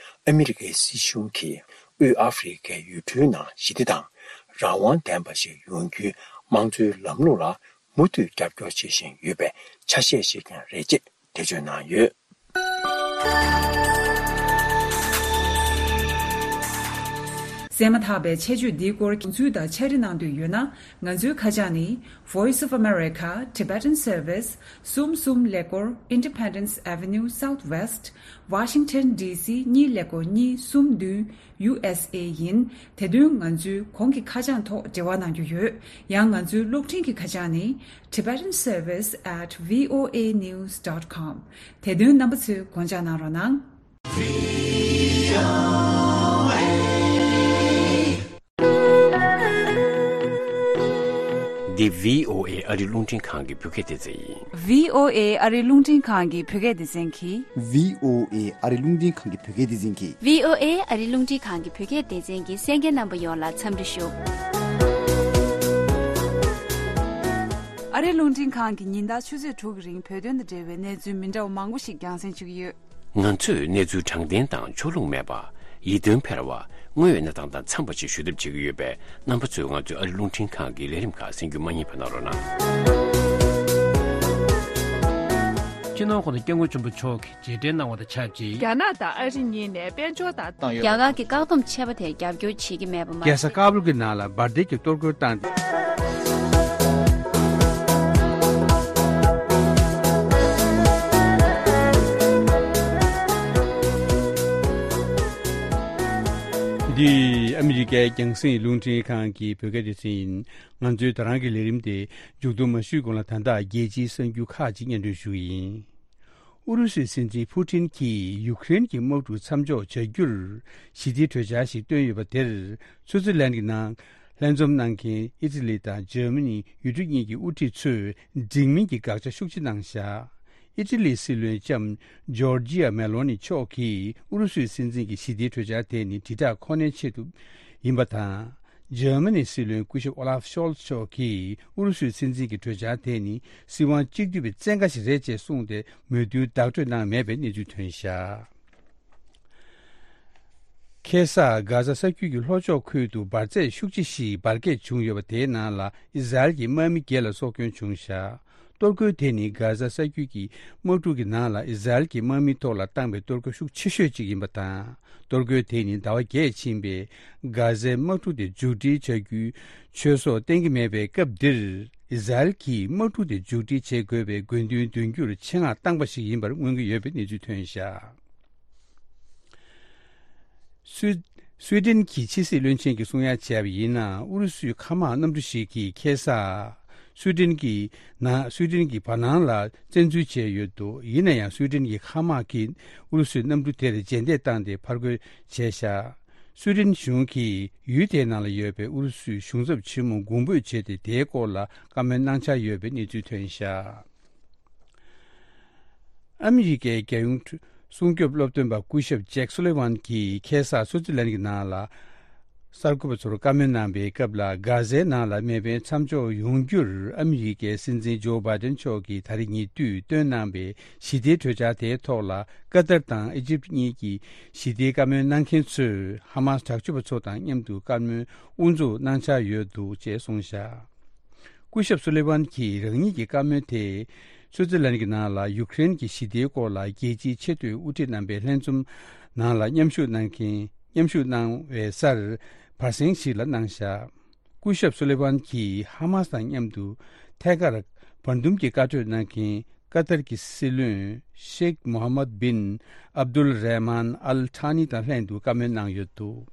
ཨ་མི་རི་ཀའི་སྲིད་གཞུང་གིས་དབུས་ཨ་ཧྥེ་རི་ཁའི་ཡུལ་གྲུའི་ནང་ཞི་བདེ་དང་རང་དབང་ལྡན་པ་ཞིག་ཡོང་རྒྱུའི་དམངས་གཙོའི་ལམ་ལུགས་ལ་མུ་མཐུད་རྒྱབ་སྐྱོར་བྱེད་བཞིན་ཡོད་པའི་ཆ་ཤས་ཤིག་ཀྱང་རེད་ཅེས་འགྲེལ་བརྗོད་གནང་ཡོད། གསན་མ་ཐག་པའི་ཆེད་བརྗོད་འདིའི་སྐོར་དགོངས་ཚུལ་དང་ཕྱག་བྲིས་གནང་འདོད་ཡོད་ན། ང་ཚོའི་ཁ་བྱང་ནི། Voice of America, Tibetan Service, གསུམ་གསུམ་ཀླད་ཀོར་Independence Avenue Southwest, Washington D C གཉིས་ཀླད་ཀོར་གཉིས་གསུམ་བདུན། ཡུ་ཨེས་ཨེ་ཡིན། དེ་དོན་ང་ཚོའི་གོང་གི་ཁ་བྱང་ཐོག་འབྲེལ་བ་གནང་རྒྱུ་ཡོད། ཡང་ང་ཚོའི་གློག་འཕྲིན་གྱི་ཁ་བྱང་ནི། Tibetan Service at V O A news dot com། དེ་དོན་རྣམ་པ་ཚོས་དགོངས་འཇགས་གནང་རོགས་གནང་། འདི་V O A ཨ་རི་རླུང་འཕྲིན་ཁང་གི་བོད་སྐད་སྡེ་ཚན་ཡིན། V O A ཨ་རི་རླུང་འཕྲིན་ཁང་གི་བོད་སྐད་སྡེ་ཚན་གྱིས། V O A ཨ་རི་རླུང་འཕྲིན་ཁང་གི་བོད་སྐད་སྡེ་ཚན་གྱིས། V O A ཨ་རི་རླུང་འཕྲིན་ཁང་གི་བོད་སྐད་སྡེ་ཚན་གྱི་གསན་མཁན་རྣམ་པ་ཡོངས་ལ་འཚམས་འདྲི་ཞུ། ཨ་རི་རླུང་འཕྲིན་ཁང་གིས་ཉིན་ལྟར་ཆུ་ཚོད་དྲུག་གི་རིང་བོད་དོན་དང་འབྲེལ་བའི་གནས་ཚུལ་མི་འདྲ་བ་མང་པོ་ཞིག་རྒྱང་སྲིང་ཞུ་གི་ཡོད། ང་ཚོས་གནས་ཚུལ་དྲང་བདེན་དང་ཕྱོགས་ལྷུང་མེད་པ། ཡིད་རྟོན་འཕེར་བ། དངོས་ཡོད་གནས་སྟངས་དང་འཚམས་པ་ཞིག་ཞུ་ཐབས་བྱེད་ཀྱི་ཡོད་པས། རྣམ་པ་ཚོས་ང་ཚོའི་ཨ་རི་རླུང་འཕྲིན་ཁང་གི་ལས་རིམ་ཁག་གསན་རྒྱུ་མ་བསྙེལ་བ་གནང་རོགས་གནང་། སྤྱི་ནོར་༸གོང་ས་༸སྐྱབས་མགོན་ཆེན་པོ་མཆོག་གིས་རྗེས་དྲན་གནང་བ་དང་ཆབས་ཅིག་རྒྱ་ནག་དང་ཨ་རི་གཉིས་ནས་དཔལ་འབྱོར་དང་། བཏང་ཡོད། རྒྱ་གར་གྱི་བཀག་སྡོམ་ཆད་པ་དེར་རྒྱབ་སྐྱོར་བྱེད་ཀྱི་མེད་པ་མ་རྒྱལ་ས་ཀ་བུལ་གྱི་ནང་ལ་འབར་མདེལ་གྱི་གཏོར་རྒོལ་བཏང་སྟེ། འདི་ཨ་མི་རི་ཀའི་རྒྱང་སྲིང་རླུང་འཕྲིན་ཁང་གི་བོད་སྐད་སྡེ་ཚན་ཡིན། ང་ཚོའི་ད་རང་གི་ལས་རིམ་དེ་མཇུག་བསྡོམས་མ་ཞུས་གོང་ལ། ད་ལྟ་རྒྱལ་སྤྱིའི་གསར་འགྱུར་ཁག་ཅིག་སྙན་སྒྲོན་ཞུ་གི་ཡིན། ཨུ་རུ་སུའི་སྲིད་འཛིན་ཕུ་ཊིན་གྱིས་ཡུཀ་རེན་གྱི་དམག་འཁྲུག་མཚམས་འཇོག་བྱ་རྒྱུར་ཞི་བདེའི་གྲོས་འཆར་ཞིག་བཏོན་ཡོད་པ་དེར། སུའུ་ཙི་ལན་གྱི་ནང་ལྷན་འཛོམས་གནང་མཁན་ཨི་ཊ་ལི་དང་འཇར་མ་ནི་ཡུལ་གྲུ་གཉིས་ཀྱི་དབུ་ཁྲིད་ཚོས་འགྲིག་མིན་གྱི་དགག་བྱ་ཤུགས་ཆེ་གནང་བཞག་ཨི་ཊ་ལིའི་སྲིད་བློན་ལྕམ་ཇོར་ཇི་ཡ་མེ་ལོ་ནི་མཆོག་གིས་ཨུ་རུ་སུའི་སྲིད་འཛིན་གྱི་ཞི་བདེའི་གྲོས་འཆར་དེ་ནི་དྲིལ་བསྒྲགས་ཁོ་ནའི་ཆེད་དུ་ཡིན་པ་དང་། འཇར་མ་ནིའི་སྲིད་བློན་སྐུ་ཞབས་ཨོ་ལཱབ་ཤོལ་ཚ་མཆོག་གིས་ཨུ་རུ་སུའི་སྲིད་འཛིན་གྱི་གྲོས་འཆར་དེ་ནི་སྲིད་དབང་གཅིག་སྡུད་པའི་བཙན་བཀའ་ཞིག་རེད་ཅེས་གསུངས་ཏེ། མོས་མཐུན་བརྡ་སྤྲོད་གནང་མེད་པའི་གནས་ཚུལ་ཐོན་བཞག་ཁ་སང་གྷ་ཛ་ས་རྒྱུད་ཀྱི་ལྷོ་ཕྱོགས་ཁུལ་དུ་འབར་རྫས་ཤུགས་ཆེ་ཞིག་འབར་གས་བྱུང་ཡོད་པ། དེའི་ནང་ལ་ཨི་ཟ་རལ་གྱི་དམག་མི་བརྒྱད་ལ་སྲོག་སྐྱོན་བྱུང་བཞག་གཏོར་རྒོལ་དེ་ནི་གྷ་ཛ་ས་རྒྱུད་ཀྱི་དམག་འཁྲུག་གི་ནང་ལ་ཨི་ཟ་རལ་གྱི་དམག་མིའི་ཐོག་ལ་བཏང་བའི་གཏོར་རྒོལ་ཤུགས་ཆེ་ཤོས་གཅིག་ཡིན་པ་དང་། གཏོར་རྒོལ་དེ་ནི་ཟླ་བ་བརྒྱད་ཕྱིན་པའི་གྷ་ཛའི་དམག་འཁྲུག་དེ་མཇུག་སྒྲིལ་བྱ་རྒྱུའི་ཆོས་སོགས་བསྟན་གྱི་མེད་པའི་སྐབས་འདིར། ཨི་ཟ་རལ་གྱིས་དམག་འཁྲུག་དེ་མཇུག་སྒྲིལ་བྱེད་དགོས་པའི་དགོས་འདུན་འདོན་རྒྱུར་ཆེད་མངགས་བཏང་པ་ཞིག་ཡིན་པར་མངོན་གྱི་ཡོད་པའི་གནས་ཚུལ་ཐོན་བཞག་སུའི་སུའེ་ཏེན་གྱི་ཕྱི་སྲིད་བློན་ཆེན་གྱིས་གསུང་ཡ་བྱས་པ་ཡིན་ན། ཨུ་རུ་སུའི་མཁའ་དམག་གནམ་གྲུ་ཞིག་གིས་ཁ་སང་སུའེ་ཏེན་གྱི་ནང་སུའེ་ཏེན་གྱི་བར་སྣང་ལ་བཙན་འཛུལ་བྱས་ཡོད་འདུག་ཡིན་ན་ཡང་སུའེ་ཏེན་གྱི་མཁའ་དམག་གིས་ཨུ་རུ་སུའི་གནམ་གྲུ་དེར་རྗེས་འདེད་བཏང་སྟེ་ཕར་རྒོལ་བྱས་བཞག་སུའེ་ཏེན་གཞུང་གིས་ཡུལ་དེའི་ནང་ལ་ཡོད་པའི་ཨུ་རུ་སུའི་གཞུང་ཚབ་ཆེན་མོ་དགོངས་འབོད་བྱས་ཏེ། དེའི་སྐོར་ལ་བཀའ་མོལ་གནང་འཆར་ཡོད་པའི་གནས་ཚུལ་ཐོན་བཞག་ཨ་མི་རི་ཀའི་རྒྱལ་ཡོངས་སྲུང་སྐྱོབ་སློབ་སྟོན་པ་སྐུ་ཞབས་ཇེཀ་སུ་ལི་ཝན་གྱིས་ཁ་སང་སུའུ་ཙི་ལན་གྱི་ནང་ལ་གསར་འགོད་པ་ཚོར་བཀའ་མོལ་གནང་བའི་སྐབས་ལ། གྷ་ཛའི་ནང་ལ་མེ་འཕེན་མཚམས་འཇོག་ཡོང་རྒྱུར་ཨ་མི་རི་ཀའི་སྲིད་འཛིན་ཇོ་བྷའི་ཏན་མཆོག་གིས་ད་རེས་ཉེ་དུས་བཏོན་གནང་བའི་ཞི་བདེའི་གྲོས་འཆར་དེའི་ཐོག་ལ། ཀ་ཏར་དང་ཨི་ཇིབ་གཉིས་ཀྱི་ཞི་བདེའི་བཀའ་མོལ་གནང་མཁན་ཚོས་ཧ་མཱས་དྲག་སྤྱོད་པ་ཚོ་དང་མཉམ་དུ་བཀའ་མོལ་དབུ་འཛུགས་གནང་འཆར་ཡོད་འདུག་ཅེས་གསུངས་བཞག་སྐུ་ཞབས་སུ་ལི་ཝན་གྱིས་རང་ཉིད་ཀྱི་བཀའ་མོལ་དེ་སུའུ་ཙི་ལན་གྱི་ནང་ལ་ཡུཀ་རེན་གྱི་ཞི་བདེའི་སྐོར་ལ་རྒྱལ་སྤྱིའི་ཆེས་མཐོའི་དབུ་ཁྲིད་རྣམ་པའི་ལྷན་འཛོམས་ནང་ལ་མཉམ་ཞུགས་གནང་མཁན་མཉམ་ཞུགས་གནང་བའི་སར་བར་གསེང་ཞིག་ལ་གནང་བཞག་སྐུ་ཞབས་སུ་ལི་ཝན་གྱིས་ཧ་མཱས་དང་མཉམ་དུ་ཐད་ཀར་བར་འདུམ་གྱི་བཀའ་གྲོས་གནང་མཁན་ཀ་ཏར་གྱི་སྲིད་བློན་ཤེག་མོ་ཧམ་མད་བིན་ཨབ་དུལ་རེ་མན་ཨལ་ཐཱ་ནི་དང་ལྷན་དུ་བཀའ་མོལ་གནང་ཡོད་འདུག་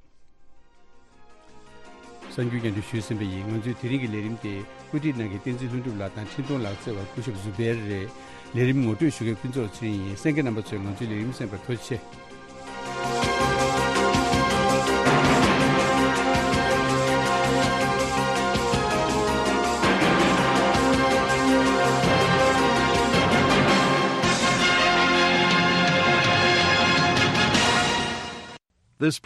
གསར་འགྱུར་སྙན་སྒྲོན་ཞུས་ཟིན་པ་ཡིན། ང་ཚོས་དེ་རིང་གི་ལས་རིམ་དེ་བཀོད་སྒྲིག་གནང་མཁན་བསྟན་འཛིན་ལྷུན་གྲུབ་ལགས་དང་འཕྲིན་གཏོང་ལག་རྩལ་བ་སྐུ་ཞབས་ཟུ་བེར་རེད། ལས་རིམ་ངོ་སྤྲོད་ཞུ་མཁན་ཕུན་ཚོགས་ཚེ་རིང་ཡིན། གསན་མཁན་རྣམ་པ་ཚོས་ང་ཚོའི་ལས་རིམ་གསན་པར་ཐུགས་རྗེ་ཆེ། This